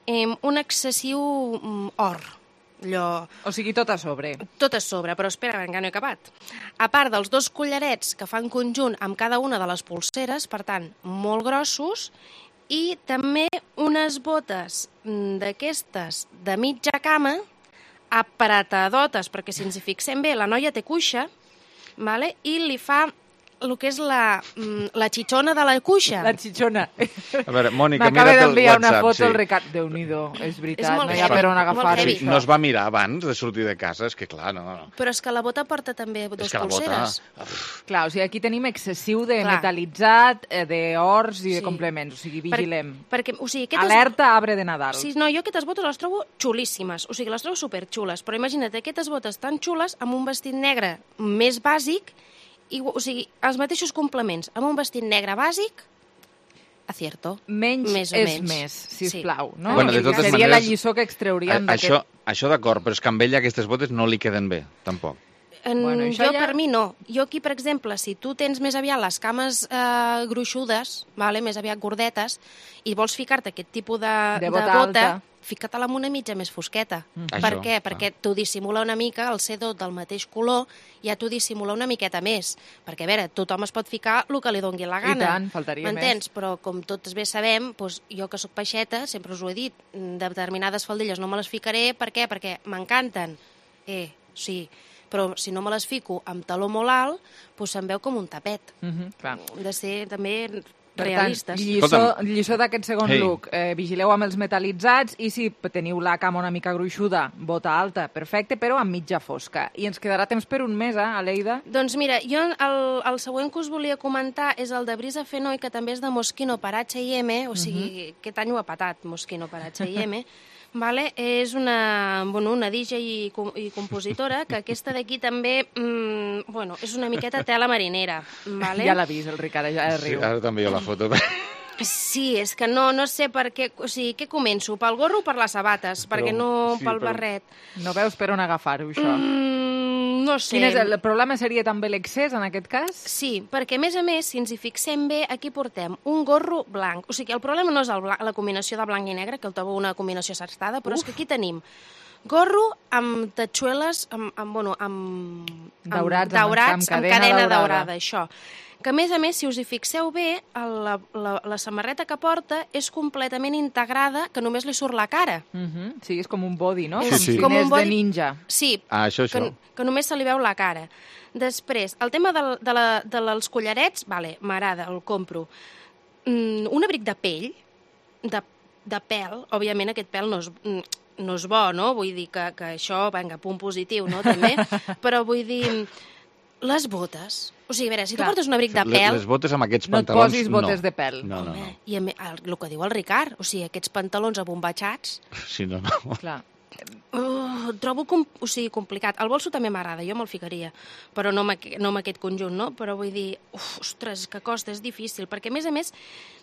eh, un excessiu mm, or. Allò... O sigui, tot a sobre. Tot a sobre, però espera, encara no he acabat. A part dels dos collarets que fan conjunt amb cada una de les polseres, per tant, molt grossos, i també unes botes mm, d'aquestes de mitja cama, apretadotes, perquè si ens hi fixem bé, la noia té cuixa, vale? I li fa el que és la, mm, la xitxona de la cuixa. La xitxona. A veure, Mònica, M'acaba mira't el d'enviar una WhatsApp, foto sí. al Ricard. Déu-n'hi-do, és veritat, És molt no hi ha heavy, per on molt agafar heavy. això. No es va mirar abans de sortir de casa, és que clar, no. no. Però és que la bota porta també dos És que la bota... polseres. Clar, o sigui, aquí tenim excessiu de Clar. metal·litzat, eh, d'ors i de Sí. complements, o sigui, vigilem. Per, perquè, o sigui, aquestes... Alerta arbre de Nadal. Sí, no, jo aquestes botes les trobo xulíssimes, o sigui, les trobo superxules, però imagina't aquestes botes tan xules amb un vestit negre més bàsic, i, o sigui, els mateixos complements, amb un vestit negre bàsic, acierto. Menys més o és menys. més, sisplau. Sí. No? Bueno, de totes Seria la maneres, lliçó que extrauríem A, d'aquest... això, això d'acord, però és que amb ella aquestes botes no li queden bé, tampoc. En, Bueno, això jo, ja- per mi, no. Jo aquí, per exemple, si tu tens més aviat les cames eh, gruixudes, vale, més aviat gordetes, i vols ficar-te aquest tipus de, De bota bota alta. fica-te-la amb una mitja més fosqueta. Mm. Per Això, què? Perquè t'ho dissimula una mica, el C dos del mateix color, ja t'ho dissimula una miqueta més. Perquè, a veure, tothom es pot ficar el que li dongui la I gana. tant, faltaria M'entens? Però, com tots bé sabem, doncs, jo que sóc peixeta, sempre us ho he dit, de determinades faldilles no me les ficaré. Per què? Perquè m'encanten. Eh, sí. Però si no me les fico amb taló molt alt, doncs se'm veu com un tapet. Mhm, clar. Hem de ser també Per realistes. tant, lliçó, Escolta'm. lliçó d'aquest segon Ei. look. Eh, vigileu amb els metal·litzats i si teniu la cama una mica gruixuda, bota alta, perfecte, però amb mitja fosca. I ens quedarà temps per un mes, eh, Aleida? Doncs mira, jo el, el següent que us volia comentar és el de Brisa Fenoi, que també és de Moschino per H i M, o sigui, aquest any ho ha patat, Moschino per H i M. Vale? És una, bueno, una D J i, com- i compositora, que aquesta d'aquí també mm, bueno, és una miqueta tela marinera. Vale? Ja l'ha vist, el Ricard, ja Sí, riu. ara també jo la foto. Sí, és que no, no sé per què... O sigui, què començo? Pel gorro o per les sabates? Però, perquè no sí, pel però... barret. No veus per on agafar-ho, això? Mm, no sé. Quin és el, el problema seria també l'excés, en aquest cas? Sí, perquè, a més a més, si ens hi fixem bé, aquí portem un gorro blanc. O sigui, el problema no és el blanc, la combinació de blanc i negre, que el trobo una combinació acertada, però Uf. és que aquí tenim gorro amb tatxueles, amb, amb, bueno, amb, daurats, amb, daurats, amb, amb cadena, cadena daurada. daurada, això. Que, a més a més, si us hi fixeu bé, la, la, la samarreta que porta és completament integrada, que només li surt la cara. Uh -huh. Sí, és com un body, no? Sí, sí. Com un body de ninja. Sí, ah, això, això. Que, que només se li veu la cara. Després, el tema de, de, la, de dels collarets, vale, m'agrada, el compro. Mm, un abric de pell, de, de pèl, òbviament aquest pèl no és... no és bo, no? Vull dir que, que això, vinga, punt positiu, no?, també. Però vull dir, les botes... O sigui, a veure, si Clar. tu portes un abric de pèl... Les botes amb aquests no pantalons... No et posis botes no. de pèl. No, no, Home, no. I el, el que diu el Ricard, o sigui, aquests pantalons abombatxats... Sí, no, no. Clar. Oh, trobo com, o sigui, complicat. El bolso també m'agrada, jo me'l ficaria, però no amb, no amb aquest conjunt, no? Però vull dir, uf, ostres, que costa, és difícil, perquè a més a més,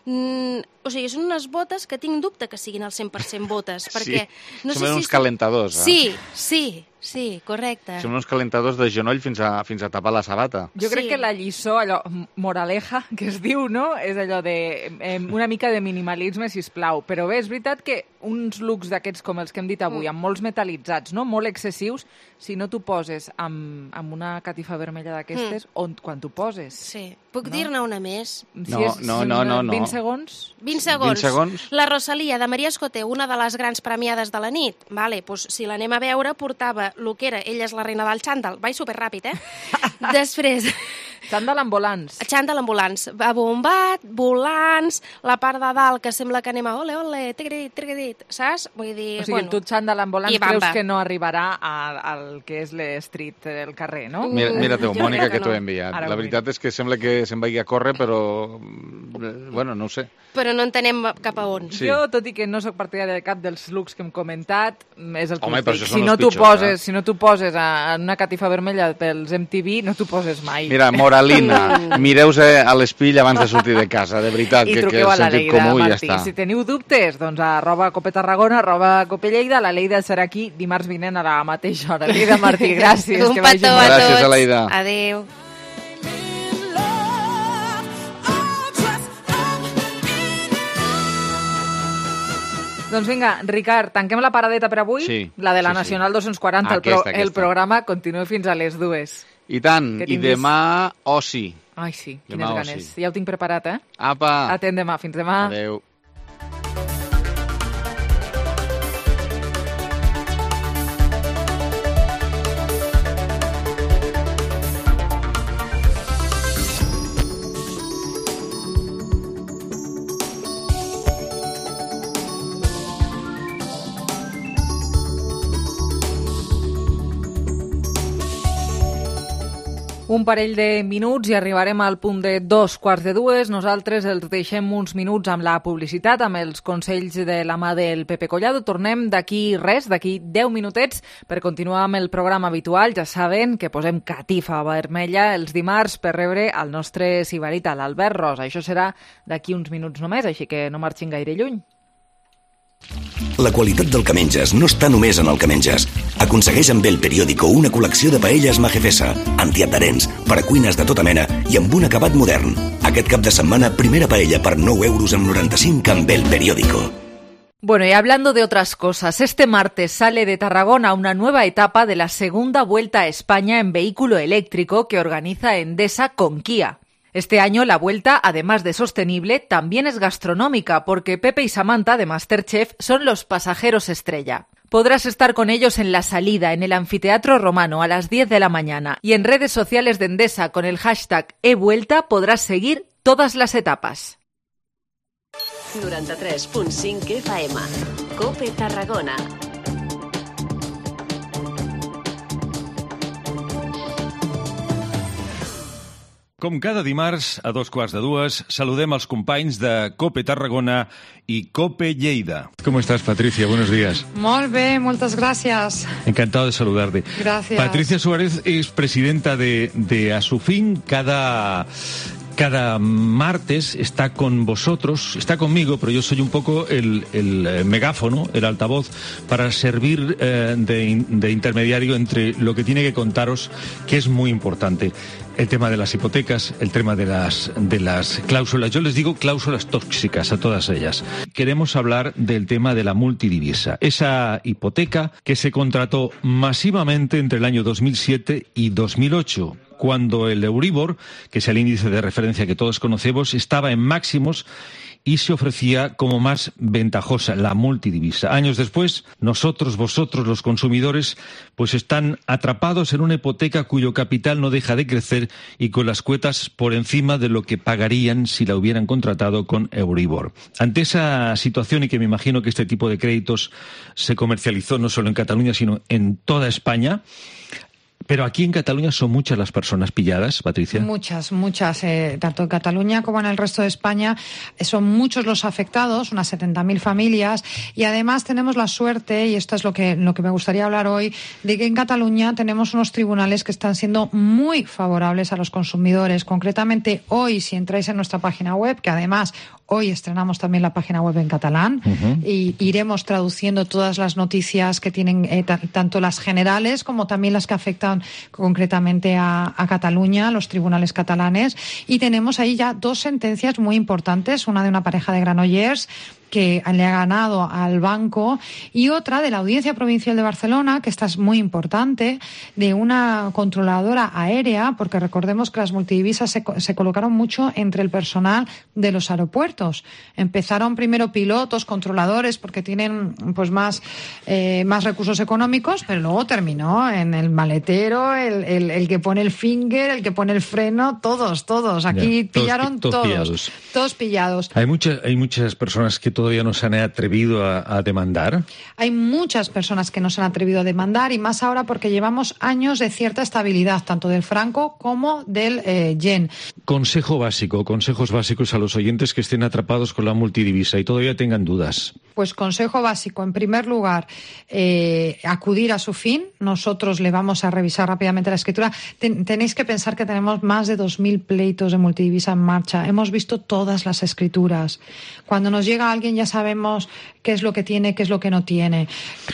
mm, o sigui, són unes botes que tinc dubte que siguin al cent per cent botes, perquè... Sí, no són sé uns si calentadors, eh? Sí, sí, sí, correcte. Són uns calentadors de genoll fins a, fins a tapar la sabata. Jo crec sí. que la lliçó, allò, moraleja, que es diu, no?, és allò de eh, una mica de minimalisme, sisplau. Però bé, és veritat que uns looks d'aquests com els que hem dit avui, amb molts metalitzats, no?, molt excessius, si no t'ho poses amb, amb una catifa vermella d'aquestes, mm. on quan t'ho poses. Sí. Puc no? dir-ne una més? No, si és, no, no, no, no. vint segons? vint segons. vint segons. La Rosalia, de Maria Escoté, una de les grans premiades de la nit. Vale, doncs, si l'anem a veure, portava el que era, ella és la reina del xàndal. Vaig superràpid, eh? Després... Xàndal amb volants. Xàndal amb volants. Bombat, volants, la part de dalt que sembla que anem a ole, ole, trigredit, trigredit, saps? Vull dir, o sigui, bueno, tu xàndal amb volants creus que no arribarà al que és l'estreet del carrer, no? Mira, mira tu, Mònica, que t'ho he enviat. Ara la veritat és que sembla que se'n vagi a córrer, però... Bueno, no ho sé. Però no entenem cap a on. Sí. Jo, tot i que no sóc partidària de cap dels looks que hem comentat, és el que Home, us dic. Si no no t'ho pitjors, poses, eh? si no t'ho poses en una catifa vermella pels M T V, no t'ho poses mai. Mira, moralina, mireu-se a l'espill abans de sortir de casa, de veritat, I que, que truqueu a la sentit Leida, comú i ja Martí. està. Si teniu dubtes, doncs arroba Cope Tarragona, arroba Cope Lleida, la Leida serà aquí dimarts vinent a la mateixa hora. Leida Martí, gràcies. Un que petó a gràcies tots. a Leida. Adéu. Doncs vinga, Ricard, tanquem la paradeta per avui, sí, la de la sí, Nacional sí. dos-cents quaranta, Aquesta, el, pro, aquesta. el programa continua fins a les dues. I tant, Que i tinguis- demà oci. Ai, sí, Demà quines oci. ganes. Ja ho tinc preparat, eh? Apa! Atent demà, fins demà. Adéu. Un parell de minuts i arribarem al punt de dos quarts de dues. Nosaltres els deixem uns minuts amb la publicitat, amb els consells de la mà del Pepe Collado. Tornem d'aquí res, d'aquí deu minutets, per continuar amb el programa habitual. Ja saben que posem catifa vermella els dimarts per rebre el nostre sibarita, l'Albert Ros. Això serà d'aquí uns minuts només, així que no marxin gaire lluny. La qualitat del que menges no està només en el que menges. Aconsegueix amb El Periódico una col·lecció de paelles Majefesa, antiadherents, per a cuines de tota mena i amb un acabat modern. Aquest cap de setmana, primera paella per nou euros amb noranta-cinc amb El Periódico. Bueno, y hablando de otras cosas, este martes sale de Tarragona una nueva etapa de la segunda Vuelta a España en vehículo eléctrico que organiza Endesa con Kia. Este año la vuelta, además de sostenible, también es gastronómica, porque Pepe y Samantha de MasterChef son los pasajeros estrella. Podrás estar con ellos en la salida, en el Anfiteatro Romano, a las diez de la mañana. Y en redes sociales de Endesa, con el hashtag eVuelta, podrás seguir todas las etapas. noranta-tres punt cinc F M. Cope Tarragona. Com cada dimarts, a dos quarts de dues, saludem als companys de Cope Tarragona y Cope Lleida. ¿Cómo estás, Patricia? Buenos días. Molt bé, moltes gràcies. Encantado de saludarte. Gracias. Patricia Suárez es presidenta de, de Asufin. Cada, cada martes está con vosotros, está conmigo, pero yo soy un poco el, el megáfono, el altavoz, para servir eh, de, de intermediario entre lo que tiene que contaros, que es muy importante. El tema de las hipotecas, el tema de las, de las cláusulas. Yo les digo cláusulas tóxicas a todas ellas. Queremos hablar del tema de la multidivisa. Esa hipoteca que se contrató masivamente entre el año dos mil siete y dos mil ocho, cuando el Euribor, que es el índice de referencia que todos conocemos, estaba en máximos y se ofrecía como más ventajosa la multidivisa. Años después, nosotros, vosotros, los consumidores, pues están atrapados en una hipoteca cuyo capital no deja de crecer y con las cuotas por encima de lo que pagarían si la hubieran contratado con Euribor. Ante esa situación, y que me imagino que este tipo de créditos se comercializó no solo en Cataluña, sino en toda España, pero aquí en Cataluña son muchas las personas pilladas, Patricia. Muchas, muchas. Eh, tanto en Cataluña como en el resto de España eh, son muchos los afectados, unas setenta mil familias. Y además tenemos la suerte, y esto es lo que, lo que me gustaría hablar hoy, de que en Cataluña tenemos unos tribunales que están siendo muy favorables a los consumidores. Concretamente, hoy, si entráis en nuestra página web, que además hoy estrenamos también la página web en catalán, uh-huh. y iremos traduciendo todas las noticias que tienen, eh, t- tanto las generales como también las que afectan concretamente a, a Cataluña, los tribunales catalanes. Y tenemos ahí ya dos sentencias muy importantes, una de una pareja de Granollers que le ha ganado al banco, y otra de la Audiencia Provincial de Barcelona, que esta es muy importante, de una controladora aérea, porque recordemos que las multidivisas se, se colocaron mucho entre el personal de los aeropuertos. Empezaron primero pilotos, controladores, porque tienen pues más, eh, más recursos económicos, pero luego terminó en el maletero, el, el, el que pone el finger, el que pone el freno, todos, todos. Aquí ya, pillaron todos, todos, pillados. todos pillados. Hay muchas, hay muchas personas que todavía no se han atrevido a, a demandar. Hay muchas personas que no se han atrevido a demandar, y más ahora porque llevamos años de cierta estabilidad, tanto del franco como del eh, yen. Consejo básico, consejos básicos a los oyentes que estén atrapados con la multidivisa y todavía tengan dudas. Pues consejo básico, en primer lugar, eh, acudir a SUFIN. Nosotros le vamos a revisar rápidamente la escritura. Ten, tenéis que pensar que tenemos más de dos mil pleitos de multidivisa en marcha. Hemos visto todas las escrituras. Cuando nos llega alguien ya sabemos qué es lo que tiene, qué es lo que no tiene.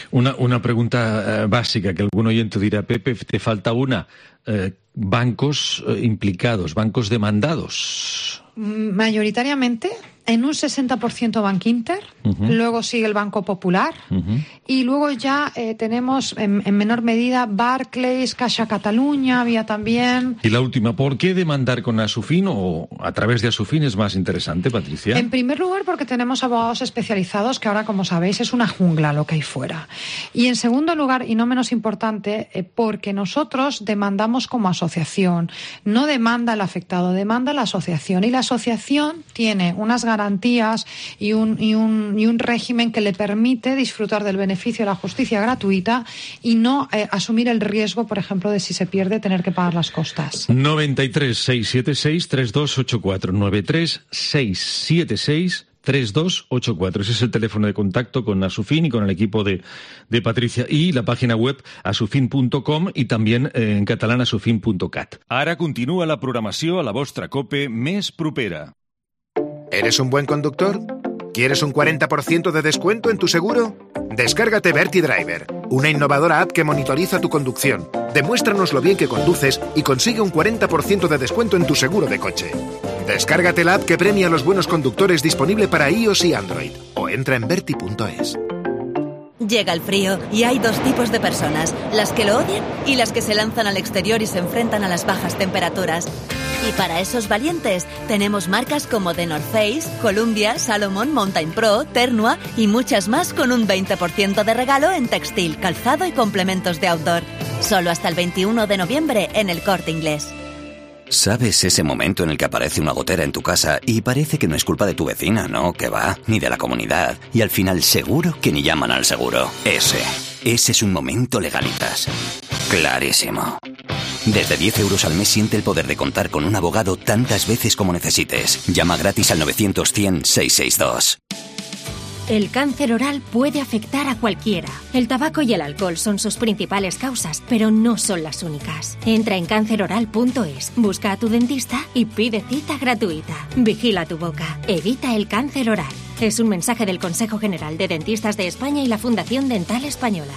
Una, una pregunta uh, básica que algún oyente dirá, Pepe, te falta una. Uh, bancos uh, implicados, bancos demandados. Mayoritariamente, en un sesenta por ciento Bankinter, uh-huh. luego sigue el Banco Popular, uh-huh. y luego ya eh, tenemos en, en menor medida Barclays, Caixa Cataluña, había también. Y la última, ¿por qué demandar con Asufin o a través de Asufin es más interesante, Patricia? En primer lugar, porque tenemos abogados especializados, que ahora, como sabéis, es una jungla lo que hay fuera. Y en segundo lugar, y no menos importante, eh, porque nosotros demandamos como asociación. No demanda el afectado, demanda la asociación. Y la asociación tiene unas garantías y un, y un, y un régimen que le permite disfrutar del beneficio de la justicia gratuita y no eh, asumir el riesgo, por ejemplo, de si se pierde tener que pagar las costas. noventa y tres, seiscientos setenta y seis, treinta y dos ochenta y cuatro. noventa y tres, seiscientos setenta y seis, treinta y dos ochenta y cuatro. Ese es el teléfono de contacto con Asufin y con el equipo de, de Patricia. Y la página web asufin punto com y también eh, en catalán asufin punto cat. Ara continua la programació a la vostra COPE més propera. ¿Eres un buen conductor? ¿Quieres un cuarenta por ciento de descuento en tu seguro? Descárgate Verti Driver, una innovadora app que monitoriza tu conducción. Demuéstranos lo bien que conduces y consigue un cuarenta por ciento de descuento en tu seguro de coche. Descárgate la app que premia a los buenos conductores, disponible para iOS y Android. O entra en verti punto es. Llega el frío y hay dos tipos de personas, las que lo odian y las que se lanzan al exterior y se enfrentan a las bajas temperaturas. Y para esos valientes tenemos marcas como The North Face, Columbia, Salomon, Mountain Pro, Ternua y muchas más con un veinte por ciento de regalo en textil, calzado y complementos de outdoor. Solo hasta el veintiuno de noviembre en El Corte Inglés. ¿Sabes ese momento en el que aparece una gotera en tu casa y parece que no es culpa de tu vecina, no, que va, ni de la comunidad, y al final seguro que ni llaman al seguro? Ese, ese es un momento Legalitas. Clarísimo. Desde diez euros al mes siente el poder de contar con un abogado tantas veces como necesites. Llama gratis al novecientos, cien, seiscientos sesenta y dos. El cáncer oral puede afectar a cualquiera. El tabaco y el alcohol son sus principales causas, pero no son las únicas. Entra en cáncer oral punto es, busca a tu dentista y pide cita gratuita. Vigila tu boca. Evita el cáncer oral. Es un mensaje del Consejo General de Dentistas de España y la Fundación Dental Española.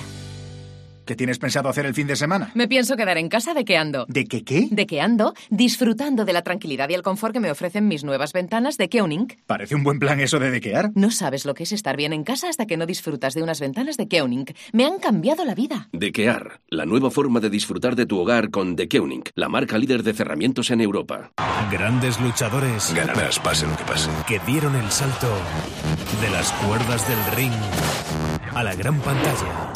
¿Qué tienes pensado hacer el fin de semana? Me pienso quedar en casa dequeando. ¿De qué qué? Dequeando, disfrutando de la tranquilidad y el confort que me ofrecen mis nuevas ventanas de Keuning. Parece un buen plan eso de dequear. No sabes lo que es estar bien en casa hasta que no disfrutas de unas ventanas de Keuning. Me han cambiado la vida. Dequear, la nueva forma de disfrutar de tu hogar con The Keuning, la marca líder de cerramientos en Europa. Grandes luchadores. Ganarás, pase lo que pase. Que dieron el salto de las cuerdas del ring a la gran pantalla.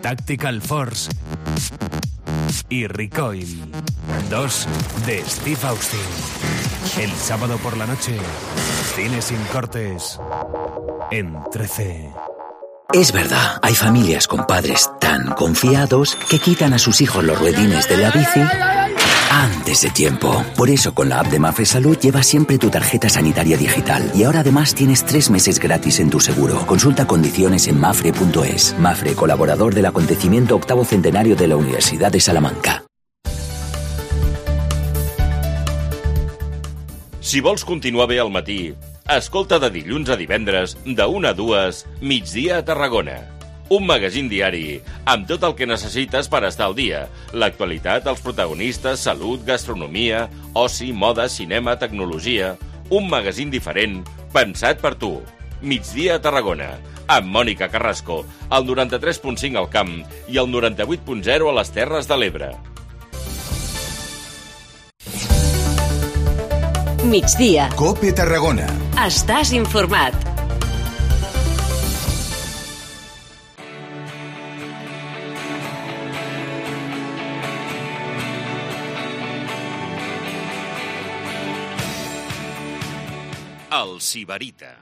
Tactical Force y Recoil, dos de Steve Austin. El sábado por la noche, cine sin cortes en trece. Es verdad, hay familias con padres tan confiados que quitan a sus hijos los ruedines de la bici antes de tiempo. Por eso con la app de Mafre Salud llevas siempre tu tarjeta sanitaria digital y ahora además tienes tres meses gratis en tu seguro. Consulta condiciones en mafre punto es. Mafre, colaborador del acontecimiento octavo centenario de la Universidad de Salamanca. Si vols continuar bé al matí, escolta de dilluns a divendres, de una a dues, Migdia a Tarragona. Un magazín diari amb tot el que necessites per estar al dia. L'actualitat, els protagonistes, salut, gastronomia, oci, moda, cinema, tecnologia. Un magazín diferent, pensat per tu. Migdia a Tarragona, amb Mònica Carrasco, al noranta-tres punt cinc al Camp i al noranta-vuit punt zero a les Terres de l'Ebre. Migdia. COPE Tarragona. Estàs informat. El Sibarita.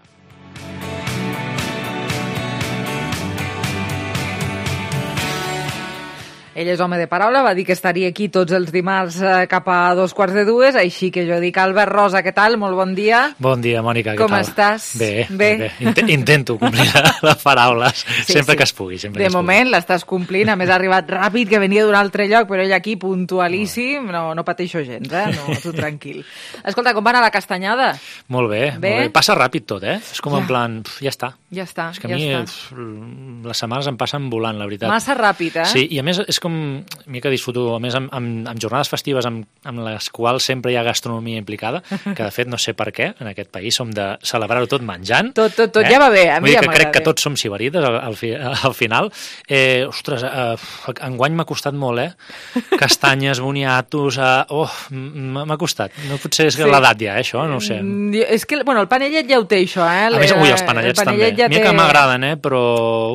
Ell és home de paraula, va dir que estaria aquí tots els dimarts eh, cap a dos quarts de dues, així que jo dic Albert Rosa, què tal? Molt bon dia. Bon dia, Mònica, què Com tal? Com estàs? Bé, bé. bé. Int intento complir les paraules, sí, sempre sí. que es pugui. Sempre de que moment l'estàs complint, a més ha arribat ràpid, que venia d'un altre lloc, però ell aquí puntualíssim, no, no pateixo gens, eh? No, tu tranquil. Escolta, com va anar la castanyada? Molt bé, bé? molt bé. Passa ràpid tot, eh? És com ja. en plan, pf, ja està. Ja està, és que a ja mi està. Pf, les setmanes em passen volant, la veritat. Massa ràpid, eh? Sí, i a més és com, que disfruto, a més amb, amb, amb jornades festives amb, amb les quals sempre hi ha gastronomia implicada, que de fet no sé per què en aquest país som de celebrar-ho tot menjant. Tot, tot, tot, eh? ja va bé, a mi Vull dir ja que crec m'agrada. que tots som sibarites al, al, fi, al final. Eh, ostres, eh, enguany m'ha costat molt, eh? Castanyes, boniatos, eh, oh, m'ha costat. No potser és sí. l'edat ja, eh, això, no ho sé. És que, bueno, el panellet ja ho té, això, eh? A més, ui, els panellets el també. Ja Mira té... que m'agraden, eh? Però...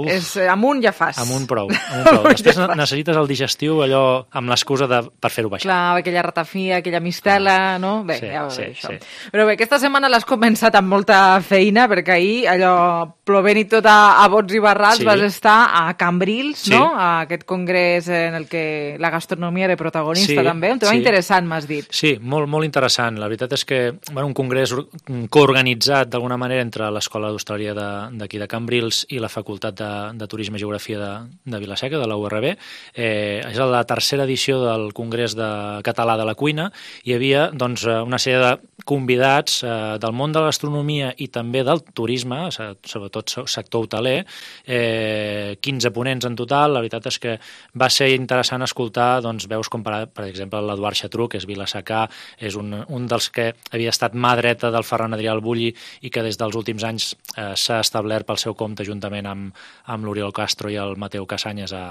Uf, és, amunt ja fas. Amunt prou. Amunt prou. Després ja necessites el digestiu, allò, amb l'excusa de, per fer-ho baixar. Clar, aquella ratafia, aquella mistela, no? Bé, sí, ja va sí, bé, això. Sí. Però bé, aquesta setmana l'has començat amb molta feina, perquè ahir, allò, plovent i tot a, a bots i barrals, sí. vas estar a Cambrils, sí. no? A aquest congrés en el que la gastronomia era protagonista, sí, també. Un tema sí. interessant, m'has dit. Sí, molt, molt interessant. La veritat és que, bueno, un congrés coorganitzat d'alguna manera entre l'Escola d'Hostaleria d'aquí de, de Cambrils i la Facultat de, de Turisme i Geografia de, de Vilaseca, de la U R B. Eh, és la tercera edició del Congrés de Català de la Cuina. Hi havia doncs, una sèrie de convidats eh, del món de la gastronomia i també del turisme, sobretot sector hoteler, eh, quinze ponents en total. La veritat és que va ser interessant escoltar doncs, veus com, per, per exemple, l'Eduard Xatruc, que és vilassacà, és un, un dels que havia estat mà dreta del Ferran Adrià al Bulli i que des dels últims anys eh, s'ha establert pel seu compte juntament amb, amb l'Oriol Castro i el Mateu Casanyes a,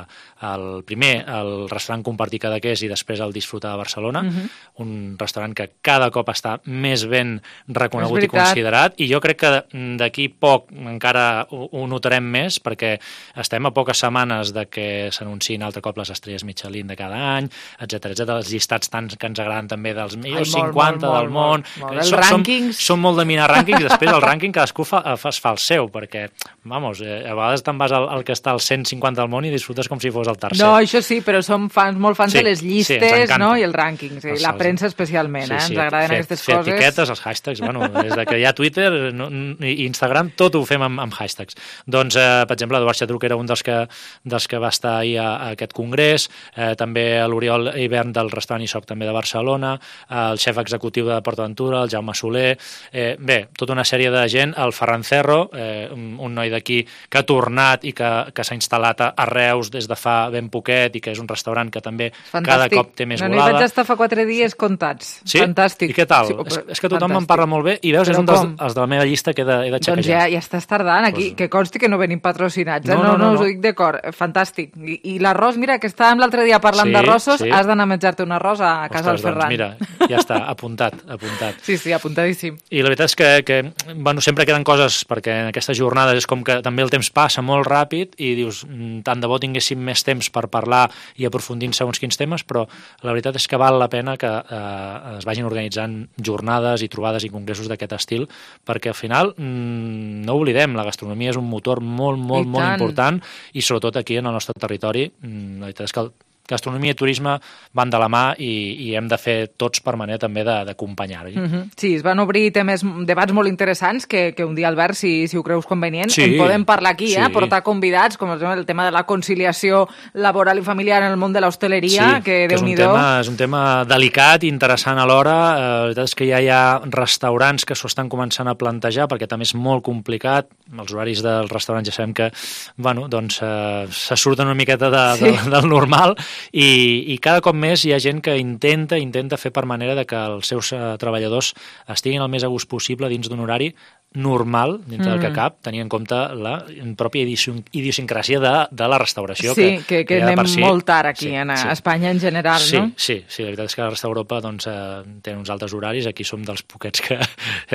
al primer, el restaurant Compartir Cadaqués i després el Disfrutar de Barcelona, uh-huh. un restaurant que cada cop està més ben reconegut i considerat, i jo crec que d'aquí poc encara ho, ho notarem més, perquè estem a poques setmanes de que s'anunciïn altre cop les estrelles Michelin de cada any, etcètera, etcètera, els llistats tant que ens agraden també dels millors Ai, molt, cinquanta molt, del món. Molt, molt. Els som, rànquings... Som, som molt de mirar rànquings, i després el rànquing cadascú fa, fa, fa el seu, perquè, vamos, eh, a vegades te'n vas al, al que està al cent cinquanta del món i disfrutes com si fos el tercer. No, això sí, però som fans, molt fans sí, de les llistes, sí, no?, i el rànquing, sí, la premsa especialment, sí, eh? Ens sí, agraden fer, aquestes fer coses. etiquetes, els hashtags, bueno, des de que hi ha Twitter no, i Instagram, tot ho fem amb, amb hashtags. Doncs, eh, per exemple, Eduard Xatruc era un dels que, dels que va estar ahir a, a aquest congrés, eh, també l'Oriol Hivern del restaurant I S O C també de Barcelona, eh, el xef executiu de PortAventura, el Jaume Soler, eh, bé, tota una sèrie de gent, el Ferran Cerro, eh, un, un noi d'aquí que ha tornat i que, que s'ha instal·lat a Reus des de fa ben poquet i que és un restaurant que també Fantàstic. Cada cop té més no, volada. No, hi vaig estar fa quatre dies comptats. Sí? Fantàstic. I què tal? Sí, és, és que tothom Fantàstic. Me'n parla molt bé i veus, Però és un dels, com? els de la meva llista que he de, he de xequejar. Doncs ja, ja estàs tardant aquí, pues... que consti que no venim patrocinats, eh? no, no, no, no, no us ho dic de cor. Fantàstic. I, i l'arròs, mira, que estàvem l'altre dia parlant sí, d'arrossos, sí. Has d'anar a menjar-te un arròs a casa del Ferran. Doncs mira, ja està, apuntat, apuntat. Sí, sí, apuntadíssim. I la veritat és que, que bueno, sempre queden coses, perquè en aquestes jornades és com que també el temps passa molt ràpid i dius, tant de bo tinguéssim més temps per parlar i aprofundir en segons quins temes, però la veritat és que val la pena que eh, es vagin organitzant jornades i trobades i congressos d'aquest estil, perquè al final mmm, no oblidem, la gastronomia és un motor molt, molt, molt important i sobretot aquí en el nostre territori mmm, la veritat és que el gastronomia i turisme van de la mà i, i hem de fer tots per manera també d'acompanyar-hi. Mm -hmm. Sí, es van obrir temes, debats molt interessants que, que un dia, Albert, si, si ho creus convenient, sí, en podem parlar aquí, sí. eh? Portar convidats, com el tema de la conciliació laboral i familiar en el món de l'hostaleria, sí, que, que és un, tema, és un tema delicat i interessant alhora. Eh, la veritat és que ja hi ha restaurants que s'ho estan començant a plantejar, perquè també és molt complicat. Els horaris dels restaurants ja sabem que bueno, doncs, eh, se surten una miqueta de, sí. de, del normal. I, i cada cop més hi ha gent que intenta intenta fer per manera de que els seus uh, treballadors estiguin el més a gust possible dins d'un horari normal, dintre mm. del que cap, tenint en compte la pròpia idiosincràsia de, de la restauració. Sí, que, que, que anem si... molt tard aquí, sí, en sí. Espanya en general, sí, no? Sí, sí, la veritat és que la resta d'Europa doncs, eh, tenen uns altres horaris, aquí som dels poquets que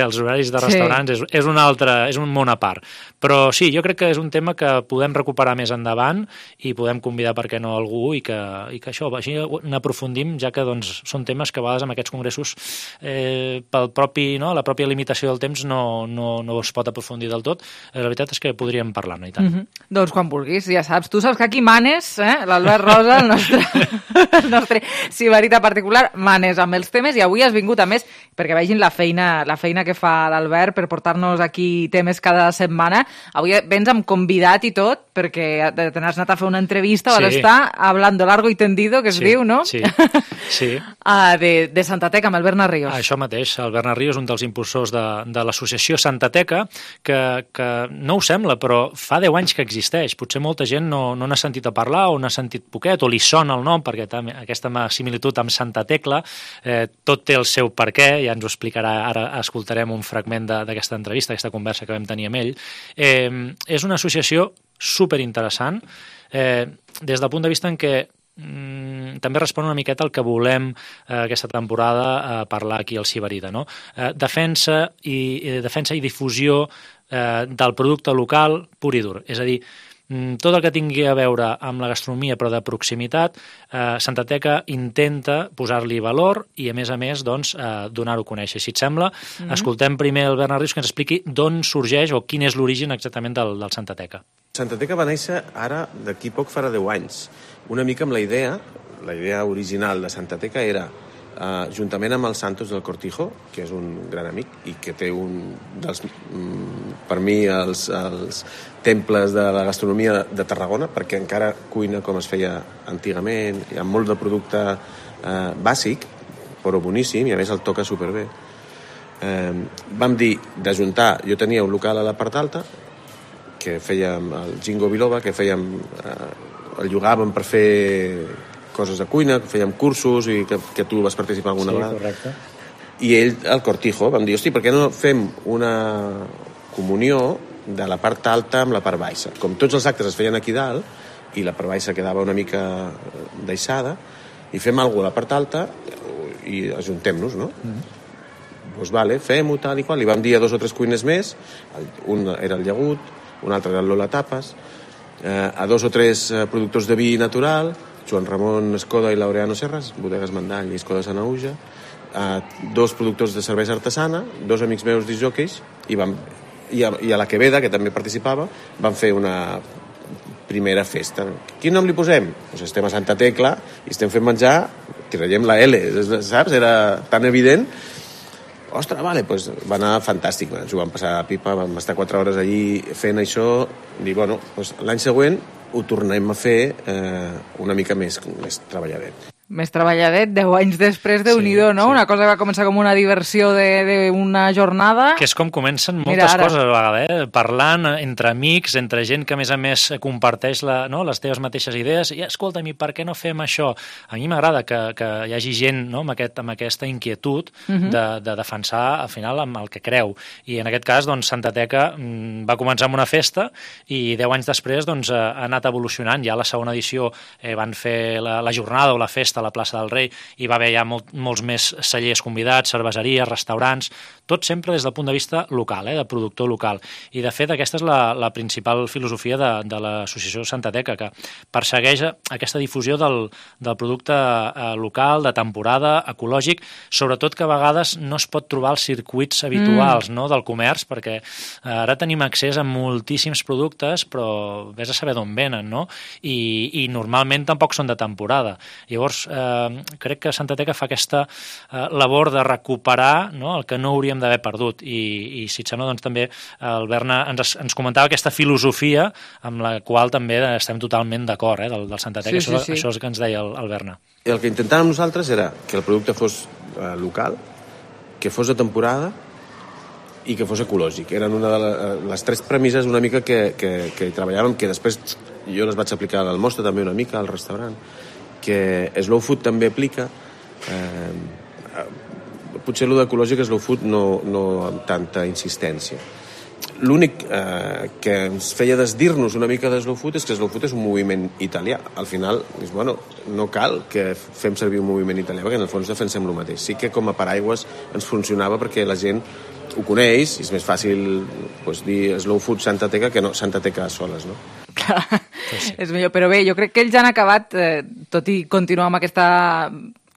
els horaris de restaurants sí. és, és, un altre, és un món a part. Però sí, jo crec que és un tema que podem recuperar més endavant i podem convidar, per què no, algú i que, i que això, així n'aprofundim, ja que doncs, són temes que a vegades en aquests congressos eh, pel propi, no, la pròpia limitació del temps no, no, no es pot aprofundir del tot. La veritat és que podríem parlar-ne i tant. Mm -hmm. Doncs quan vulguis, ja saps. Tu saps que aquí manes, eh? L'Albert Rosa, el nostre, el nostre sibarita particular, manes amb els temes i avui has vingut a més perquè vegin la feina, la feina que fa l'Albert per portar-nos aquí temes cada setmana. Avui vens amb convidat i tot perquè te n'has anat a fer una entrevista, sí. vas estar hablando largo y tendido, que es sí, diu, no? Sí, sí. uh, de, de Santa Teca, amb el Bernat Ríos. Això mateix, el Bernat Ríos és un dels impulsors de, de l'associació Santa Teca, que, que no ho sembla, però fa deu anys que existeix. Potser molta gent no, no n'ha sentit a parlar o n'ha sentit poquet, o li sona el nom, perquè també aquesta similitud amb Santa Tecla, eh, tot té el seu perquè, ja ens ho explicarà, ara escoltarem un fragment d'aquesta entrevista, aquesta conversa que vam tenir amb ell. Eh, és una associació superinteressant, eh, des del punt de vista en què Mm, també respon una miqueta al que volem eh, aquesta temporada eh, parlar aquí al Sibarita, no? Eh, defensa, i, eh, defensa i difusió eh, del producte local pur i dur, és a dir, mm, tot el que tingui a veure amb la gastronomia però de proximitat, eh, Santa Teca intenta posar-li valor i a més a més doncs, eh, donar-ho a conèixer. Si et sembla, mm-hmm. escoltem primer el Bernat Ríos que ens expliqui d'on sorgeix o quin és l'origen exactament del, del Santa Teca. Santa Teca va néixer ara, d'aquí poc farà deu anys, una mica amb la idea, la idea original de Santa Teca era, eh, juntament amb el Santos del Cortijo, que és un gran amic i que té un dels, mm, per mi, els, els temples de la gastronomia de Tarragona, perquè encara cuina com es feia antigament, hi ha molt de producte eh, bàsic, però boníssim, i a més el toca superbé. Eh, vam dir d'ajuntar, jo tenia un local a la part alta, que fèiem el Gingo Biloba, que fèiem... Eh, el llogàvem per fer coses de cuina, fèiem cursos i que, que tu vas participar alguna sí, vegada. Correcte. I ell, el Cortijo, vam dir, hosti, per què no fem una comunió de la part alta amb la part baixa? Com tots els actes es feien aquí dalt i la part baixa quedava una mica deixada, i fem alguna cosa a la part alta i ajuntem-nos, no? Mm. Doncs vale, fem-ho tal i qual. I vam dir a dos o tres cuines més, un era el Llagut, un altre era el Lola Tapas, eh, a dos o tres eh, productors de vi natural, Joan Ramon Escoda i Laureano Serras, Bodegues Mandall i Escoda Sanaüja, eh, dos productors de cervesa artesana, dos amics meus disjòqueis, i, vam, i, a, i a la Queveda, que també participava, vam fer una primera festa. Quin nom li posem? Pues estem a Santa Tecla i estem fent menjar, tiraríem la L, saps? Era tan evident. ostres, vale, doncs va anar fantàstic, ens ho vam passar a pipa, vam estar quatre hores allí fent això, i bueno, doncs l'any següent ho tornem a fer eh, una mica més, més treballadet. Més treballadet, deu anys després, Déu-n'hi-do, no? Sí. Una cosa que va començar com una diversió d'una jornada... Que és com comencen moltes coses a vegada, eh? Parlant entre amics, entre gent que a més a més comparteix la, no? les teves mateixes idees, i escolta'm, i per què no fem això? A mi m'agrada que, que hi hagi gent, no? amb, aquest, amb aquesta inquietud uh-huh. de, de defensar al final amb el que creu. I en aquest cas, doncs, Santa Teca mm, va començar amb una festa i deu anys després doncs, ha anat evolucionant. Ja a la segona edició eh, van fer la, la jornada o la festa a la plaça del Rei, i va haver ja molt, molts més cellers convidats, cerveseries, restaurants, tot sempre des del punt de vista local, eh, de productor local. I de fet aquesta és la, la principal filosofia de, de l'associació Santa Teca, que persegueix aquesta difusió del, del producte eh, local, de temporada, ecològic, sobretot que a vegades no es pot trobar els circuits habituals mm. no, del comerç, perquè eh, ara tenim accés a moltíssims productes, però vés a saber d'on venen, no? I, i normalment tampoc són de temporada. Llavors, Eh, crec que Santa Teca fa aquesta eh, labor de recuperar, no?, el que no hauríem d'haver perdut, i, i si et sembla, doncs també el Berna ens, ens comentava aquesta filosofia amb la qual també estem totalment d'acord, eh, del, del Santa Teca. Sí, això, sí, sí. Això és el que ens deia el, el Berna. El que intentàvem nosaltres era que el producte fos eh, local, que fos de temporada i que fos ecològic. Eren una de les, les tres premisses una mica que, que, que treballàvem, que després jo les vaig aplicar al Mostra també una mica, al restaurant, que Slow Food també aplica. Eh, potser allò d'ecològic Slow Food no, no amb tanta insistència. L'únic eh, que ens feia desdir-nos una mica de Slow Food és que Slow Food és un moviment italià. Al final, és, bueno, no cal que fem servir un moviment italià, perquè en el fons defensem el mateix. Sí que com a paraigües ens funcionava perquè la gent ho coneix, i és més fàcil doncs, dir Slow Food Santa Teca que no Santa Teca soles, no? Clar, sí. És millor, però bé, jo crec que ells han acabat, eh, tot i continuar amb aquesta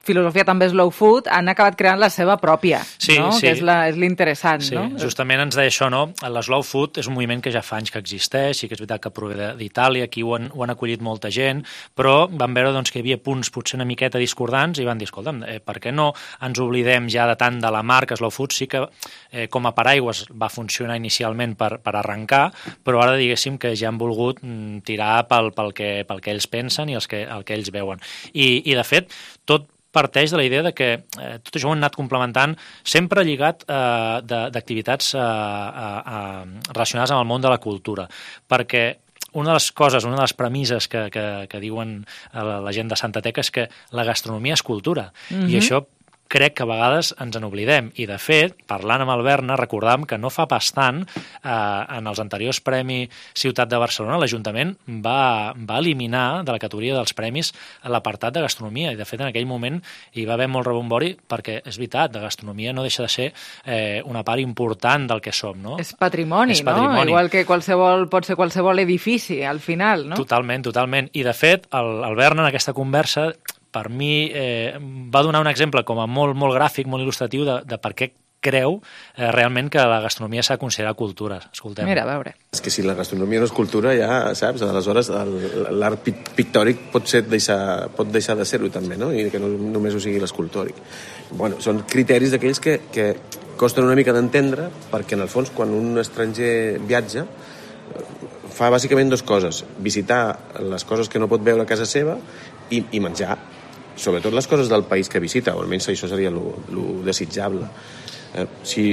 filosofia també slow food, han acabat creant la seva pròpia, sí, no? Sí. Que és, la, és l'interessant, sí, no? Justament ens deia això, no? L'eslow food és un moviment que ja fa anys que existeix, sí que és veritat que prové d'Itàlia, aquí ho han, ho han acollit molta gent, però van veure doncs, que hi havia punts potser una miqueta discordants i van dir, escolta'm, eh, per què no ens oblidem ja de tant de la marca slow food? Sí que eh, com a paraigües va funcionar inicialment per, per arrencar, però ara diguéssim que ja han volgut mm, tirar pel, pel, que, pel que ells pensen i els que, el que ells veuen. I, i de fet, tot parteix de la idea de que eh, tot això ho han anat complementant sempre lligat eh, d'activitats eh, eh, relacionades amb el món de la cultura, perquè una de les coses, una de les premisses que, que, que diuen la, la gent de Santa Teca és que la gastronomia és cultura, mm-hmm. i això crec que a vegades ens en oblidem. I, de fet, parlant amb el Berna, recordàvem que no fa pas tant, eh, en els anteriors Premis Ciutat de Barcelona, l'Ajuntament va, va eliminar de la categoria dels premis l'apartat de gastronomia. I, de fet, en aquell moment hi va haver molt rebombori perquè, és veritat, de gastronomia no deixa de ser eh, una part important del que som, no? És patrimoni, és patrimoni, no? Igual que qualsevol, pot ser qualsevol edifici, al final, no? Totalment, totalment. I, de fet, el, el Berna, en aquesta conversa, per mi eh, va donar un exemple com a molt, molt gràfic, molt il·lustratiu de, de per què creu eh, realment que la gastronomia s'ha de considerar cultura. Escoltem. Mira, a veure. És que si la gastronomia no és cultura, ja, saps, aleshores l'art pictòric pot, ser deixar, pot deixar de ser-ho també, no? I que no només ho sigui l'escultòric. Bueno, són criteris d'aquells que, que costen una mica d'entendre, perquè en el fons quan un estranger viatja fa bàsicament dues coses: visitar les coses que no pot veure a casa seva i, i menjar, sobretot les coses del país que visita, o almenys això seria lo, lo desitjable. Eh, si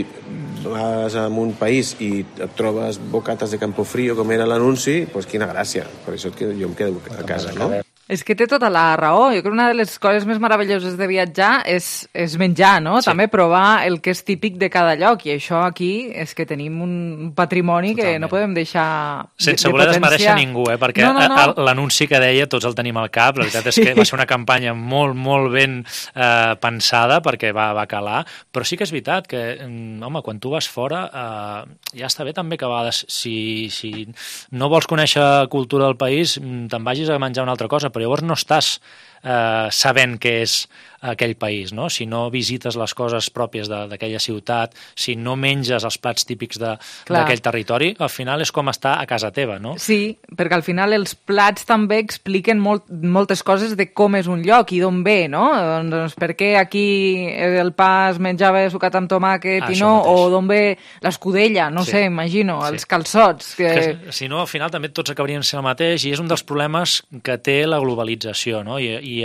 vas a un país i et trobes bocates de Campofrío, com era l'anunci, doncs quina gràcia. Per això jo em quedo a casa, no? És que té tota la raó. Jo crec que una de les coses més meravelloses de viatjar és, és menjar, no? Sí. També provar el que és típic de cada lloc. I això aquí és que tenim un patrimoni Totalment. Que no podem deixar sense de voler potenciar. Desmereixer ningú, eh? Perquè no, no, no. l'anunci que deia tots el tenim al cap. La veritat és que sí. va ser una campanya molt, molt ben eh, pensada perquè va, va calar. Però sí que és veritat que, home, quan tu vas fora eh, ja està bé també que a vegades si, si no vols conèixer cultura del país te'n vagis a menjar una altra cosa, però llavors no estàs eh, sabent què és aquell país, no? Si no visites les coses pròpies d'aquella ciutat, si no menges els plats típics d'aquell territori, al final és com estar a casa teva, no? Sí, perquè al final els plats també expliquen molt, moltes coses de com és un lloc i d'on ve, no? Doncs per què aquí el pa es menjava sucat amb tomàquet i no, o d'on ve l'escudella, no sé, imagino, els calçots. Que si no, al final també tots acabarien sent el mateix i és un dels problemes que té la globalització, no? I, i,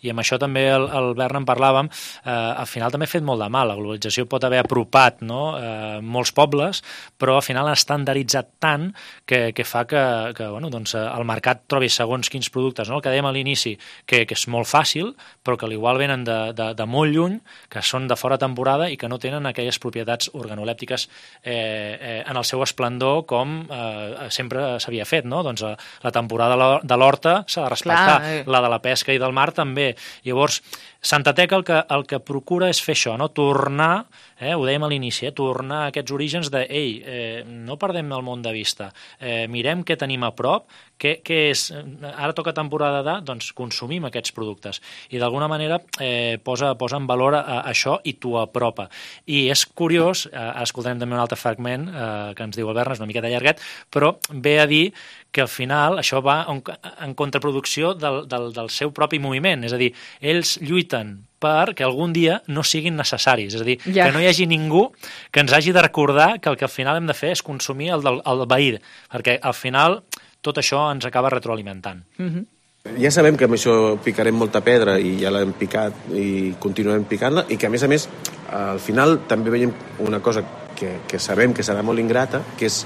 i amb això també el, el Bern en parlàvem, eh, al final també ha fet molt de mal. La globalització pot haver apropat, no? eh, molts pobles, però al final ha estandarditzat tant que, que fa que, que bueno, doncs, el mercat trobi segons quins productes, no? El que dèiem a l'inici, que, que és molt fàcil, però que igual venen de, de, de molt lluny, que són de fora temporada i que no tenen aquelles propietats organolèptiques eh, eh, en el seu esplendor com eh, sempre s'havia fet, no? Doncs eh, la temporada de l'horta s'ha de respectar, Clar, eh. la de la pesca i del mar també. Llavors, Santa Tecla el que, el que procura és fer això, no? Tornar, eh, ho dèiem a l'inici, eh, tornar a aquests orígens de, ei, eh, no perdem el món de vista, eh, mirem què tenim a prop, què, què és, ara toca temporada de, doncs consumim aquests productes. I d'alguna manera eh, posa, posa en valor a, a això i t'ho apropa. I és curiós, eh, ara escoltarem també un altre fragment eh, que ens diu el Bern, és una miqueta llarguet, però ve a dir que al final això va en, en contraproducció del, del, del seu propi moviment. És a dir, ells lluiten perquè algun dia no siguin necessaris. És a dir, ja. que no hi hagi ningú que ens hagi de recordar que el que al final hem de fer és consumir el del el veí, perquè al final tot això ens acaba retroalimentant. Mm-hmm. Ja sabem que amb això picarem molta pedra i ja l'hem picat i continuem picant-la i que a més a més al final també veiem una cosa que, que sabem que serà molt ingrata, que és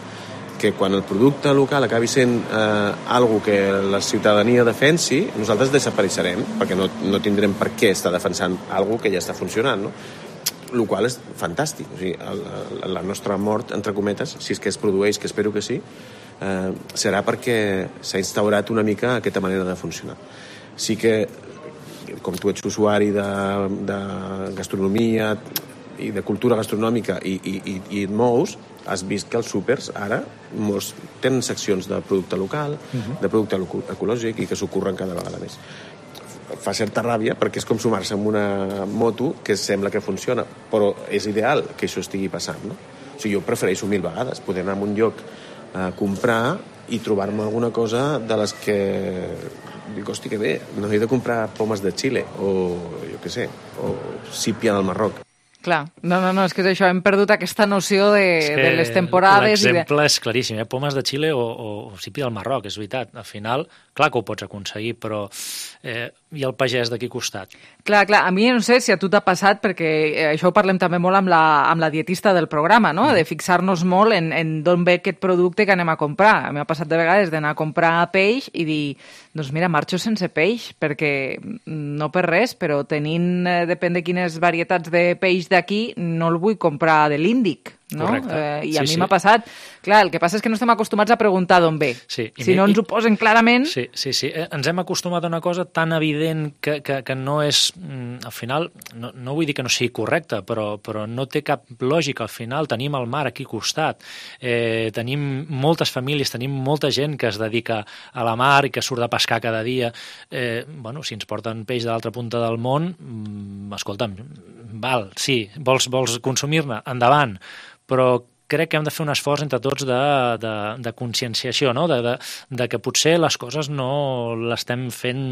que quan el producte local acabi sent eh, algo que la ciutadania defensi, nosaltres desapareixerem, perquè no, no tindrem per què estar defensant algo que ja està funcionant, no? El qual és fantàstic. O sigui, el, el, la nostra mort, entre cometes, si és que es produeix, que espero que sí, eh, serà perquè s'ha instaurat una mica aquesta manera de funcionar. Sí que, com tu ets usuari de, de gastronomia i de cultura gastronòmica i, i, i, i et mous, has vist que els súpers ara molts tenen seccions de producte local, uh-huh. de producte ecològic i que s'ocorren cada vegada més. Fa certa ràbia perquè és com sumar-se amb una moto que sembla que funciona, però és ideal que això estigui passant, no? O sigui, jo prefereixo mil vegades poder anar a un lloc a comprar i trobar-me alguna cosa de les que dic, hosti, que bé, no he de comprar pomes de Xile o, jo què sé, o sípia del Marroc. Clar, no, no, no, és que és això, hem perdut aquesta noció de, de les temporades. L'exemple de... és claríssim, eh? Pomes de Xile o, o, o sípia del Marroc, és veritat. Al final, clar que ho pots aconseguir, però eh, i el pagès d'aquí costat. Clar, clar, a mi no sé si a tu t'ha passat, perquè això ho parlem també molt amb la, amb la dietista del programa, no? De fixar-nos molt en, en d'on ve aquest producte que anem a comprar. A mi m'ha passat de vegades d'anar a comprar peix i dir, doncs mira, marxo sense peix, perquè no per res, però tenint, eh, depèn de quines varietats de peix d'aquí, no el vull comprar de l'Índic. No? Eh, I a sí, mi sí. m'ha passat. Clar, el que passa és que no estem acostumats a preguntar d'on ve. Sí, si no ens ho posen clarament... Sí, sí, sí. Ens hem acostumat a una cosa tan evident que, que, que no és... Al final, no, no vull dir que no sigui correcte, però, però no té cap lògica. Al final tenim el mar aquí al costat. Eh, tenim moltes famílies, tenim molta gent que es dedica a la mar i que surt de pescar cada dia. Eh, bueno, si ens porten peix de l'altra punta del món, escolta'm, val, sí, vols, vols consumir-ne? Endavant. Però crec que hem de fer un esforç entre tots de, de, de conscienciació, no? de, de, de que potser les coses no l'estem fent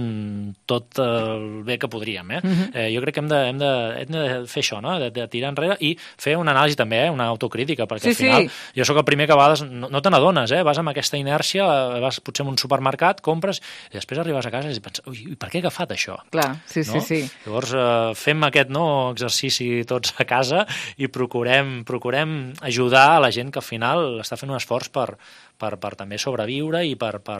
tot el bé que podríem. Eh? Uh-huh. eh, jo crec que hem de, hem de, hem de fer això, no? de, de tirar enrere i fer una anàlisi també, eh? una autocrítica, perquè sí, al final sí. jo sóc el primer que a vegades no, no te n'adones, eh? vas amb aquesta inèrcia, vas potser a un supermercat, compres i després arribes a casa i penses, ui, per què he agafat això? Clar, sí, no? sí, sí. Llavors eh, fem aquest no, exercici tots a casa i procurem, procurem ajudar a la gent que al final està fent un esforç per, per, per també sobreviure i per, per,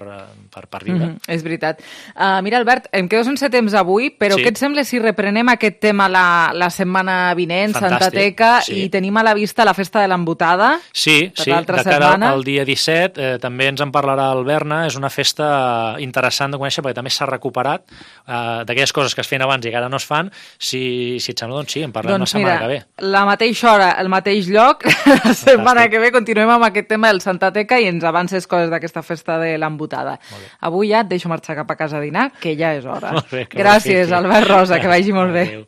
per, per viure. Mm-hmm, és veritat. Uh, mira, Albert, em quedo sense temps avui, però sí. què et sembla si reprenem aquest tema la, la setmana vinent, Fantàstic. Santa Teca, sí. i tenim a la vista la festa de l'embotada? Sí, sí, de cara setmana. Al dia disset, eh, també ens en parlarà el Berna, és una festa interessant de conèixer perquè també s'ha recuperat eh, d'aquelles coses que es feien abans i que ara no es fan. Si, si et sembla, doncs sí, en parlem doncs la setmana mira, que ve. La mateixa hora, el mateix lloc, la setmana Fantàstic. Que ve continuem amb aquest tema del Santa Teca i ens ens avances coses d'aquesta festa de l'embotada. Avui ja et deixo marxar cap a casa a dinar, que ja és hora. Molt bé, que Gràcies, Albert Rosa, que vagi molt bé. Adéu.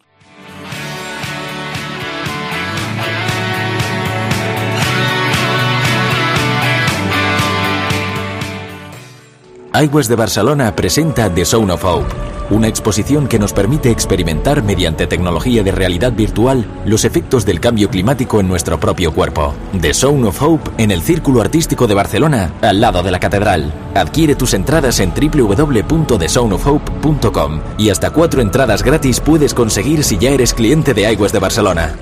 Aigües de Barcelona presenta The Sound of Hope, una exposición que nos permite experimentar mediante tecnología de realidad virtual los efectos del cambio climático en nuestro propio cuerpo. The Sound of Hope en el Círculo Artístico de Barcelona, al lado de la Catedral. Adquiere tus entradas en doble u doble u doble u punto the sound of hope punto com y hasta cuatro entradas gratis puedes conseguir si ya eres cliente de Aigües de Barcelona.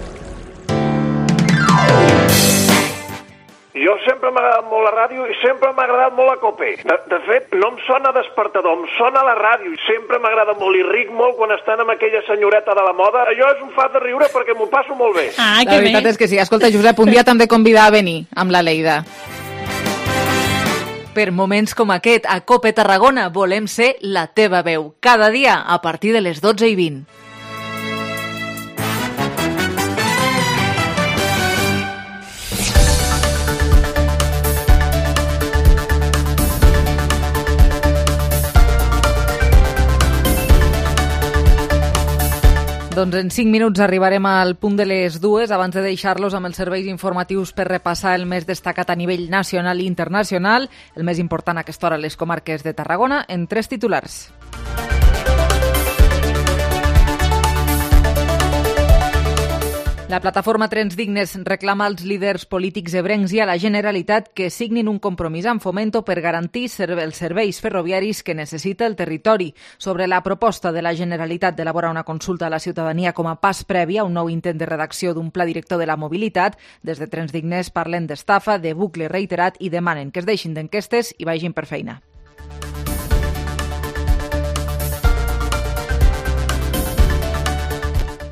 Jo sempre m'ha agradat molt la ràdio i sempre m'ha agradat molt la COPE. De, de fet, no em sona despertador, em sona la ràdio i sempre m'agrada molt i ric molt quan estan amb aquella senyoreta de la moda. Allò és un fat de riure perquè m'ho passo molt bé. Ah, la veritat bé. És que sí. Escolta, Josep, un dia t'hem de convidar a venir amb la Leida. Per moments com aquest, a COPE Tarragona volem ser la teva veu. Cada dia a partir de les dotze i vint. Doncs en cinc minuts arribarem al punt de les dues, abans de deixar-los amb els serveis informatius per repassar el més destacat a nivell nacional i internacional, el més important a aquesta hora a les comarques de Tarragona, en tres titulars. La plataforma Trens Dignes reclama als líders polítics ebrencs i a la Generalitat que signin un compromís amb Fomento per garantir els serveis ferroviaris que necessita el territori. Sobre la proposta de la Generalitat d'elaborar una consulta a la ciutadania com a pas previ a un nou intent de redacció d'un pla director de la mobilitat, des de Trens Dignes parlen d'estafa, de bucle reiterat i demanen que es deixin d'enquestes i vagin per feina.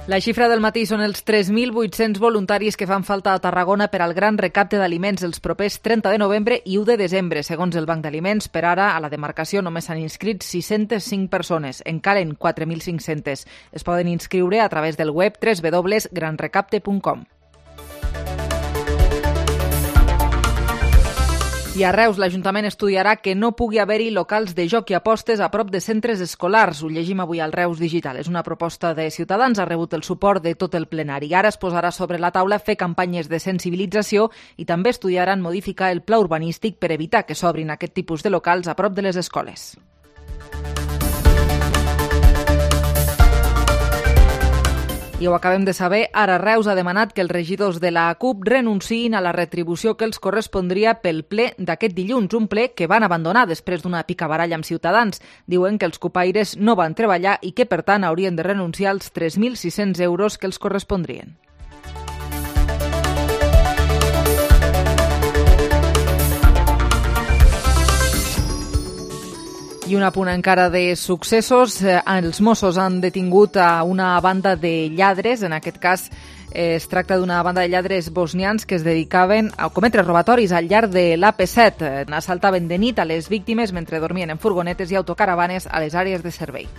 La xifra del matí són els tres mil vuit-cents voluntaris que fan falta a Tarragona per al gran recapte d'aliments els propers trenta de novembre i u de desembre. Segons el Banc d'Aliments, per ara a la demarcació només s'han inscrit sis-centes cinc persones. En calen quatre mil cinc-cents. Es poden inscriure a través del web w w w punt gran recapte punt com. I a Reus, l'Ajuntament estudiarà que no pugui haver-hi locals de joc i apostes a prop de centres escolars. Ho llegim avui al Reus Digital. És una proposta de Ciutadans, ha rebut el suport de tot el plenari. Ara es posarà sobre la taula fer campanyes de sensibilització i també estudiaran modificar el pla urbanístic per evitar que s'obrin aquest tipus de locals a prop de les escoles. I ho acabem de saber, ara Reus ha demanat que els regidors de la CUP renunciïn a la retribució que els correspondria pel ple d'aquest dilluns, un ple que van abandonar després d'una picabaralla amb Ciutadans. Diuen que els cupaires no van treballar i que, per tant, haurien de renunciar als tres mil sis-cents euros que els correspondrien. I un apunt encara de successos. Els Mossos han detingut a una banda de lladres, en aquest cas es tracta d'una banda de lladres bosnians que es dedicaven a cometre robatoris al llarg de l'A P set. Assaltaven de nit a les víctimes mentre dormien en furgonetes i autocaravanes a les àrees de servei.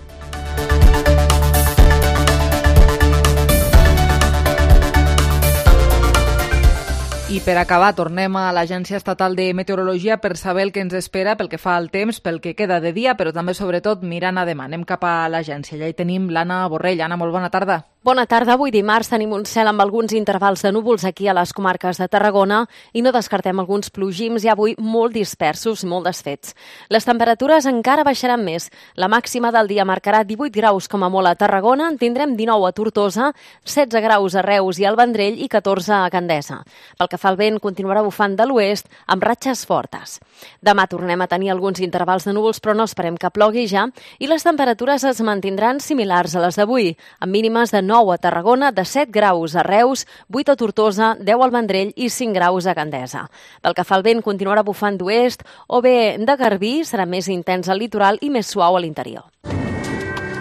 I per acabar, tornem a l'Agència Estatal de Meteorologia per saber el que ens espera pel que fa al temps, pel que queda de dia, però també, sobretot, mirant a demà. Anem cap a l'agència. Ja hi tenim l'Anna Borrell. Anna, molt bona tarda. Bona tarda. Avui dimarts tenim un cel amb alguns intervals de núvols aquí a les comarques de Tarragona i no descartem alguns plogims i avui molt dispersos i molt desfets. Les temperatures encara baixaran més. La màxima del dia marcarà divuit graus com a molt a Tarragona, en tindrem dinou a Tortosa, setze graus a Reus i al Vendrell i catorze a Gandesa. Pel que fa al vent, continuarà bufant de l'oest amb ratxes fortes. Demà tornem a tenir alguns intervals de núvols, però no esperem que plogui ja, i les temperatures es mantindran similars a les d'avui, amb mínimes de nou a Tarragona, de set graus a Reus, vuit a Tortosa, deu al Vendrell i cinc graus a Gandesa. Pel que fa al vent, continuarà bufant d'oest o bé de garbí, serà més intens al litoral i més suau a l'interior.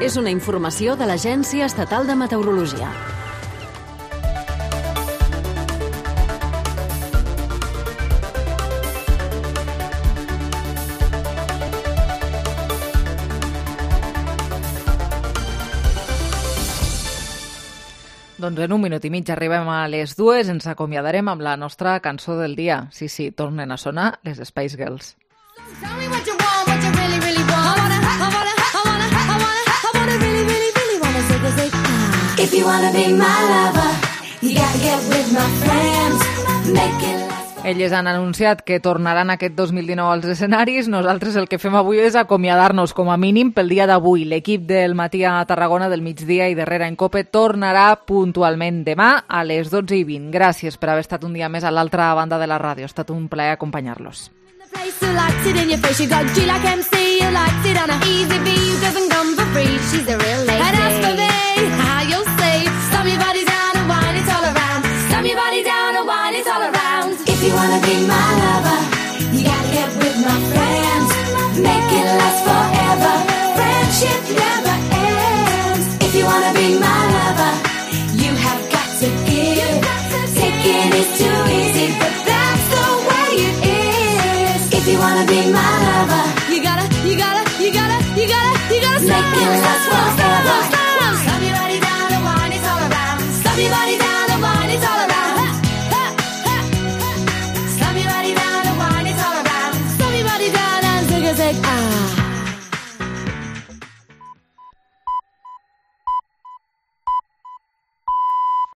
És una informació de l'Agència Estatal de Meteorologia. Doncs en un minut i mig arribem a les dues, ens acomiadarem amb la nostra cançó del dia. Sí, sí, tornen a sonar les Spice Girls. Tell me what you want, what you really, really want. I wanna, I wanna, I wanna, I wanna, I wanna really, really, really wanna zig a zig. Ah. If you wanna be my lover, you gotta get with my friends, make it. Elles han anunciat que tornaran aquest dos mil dinou als escenaris. Nosaltres el que fem avui és acomiadar-nos com a mínim pel dia d'avui. L'equip del matí a Tarragona, del migdia i darrere en Cope tornarà puntualment demà a les dotze i vint. Gràcies per haver estat un dia més a l'altra banda de la ràdio. Ha estat un plaer acompanyar-los. Place who likes it in your face, you got G like M C, you likes it on a easy B, doesn't come for free, she's a real lady. And as for me, how you'll say, slam your body down and wine it all around, slam your body down and wine it all around. If you wanna be my lover, you gotta get with my friends, make it last forever, friendship never ends. If you wanna be my lover, you have got to give, taking is too easy, but that's the way it is. If you wanna be my lover, you gotta, you gotta, you gotta, you gotta, you gotta make it last forever. Stop your body down and wine it all around. Stop your body down and wine it all around. Stop your body down and wine it all around. Stop your body down and zig a zig ah.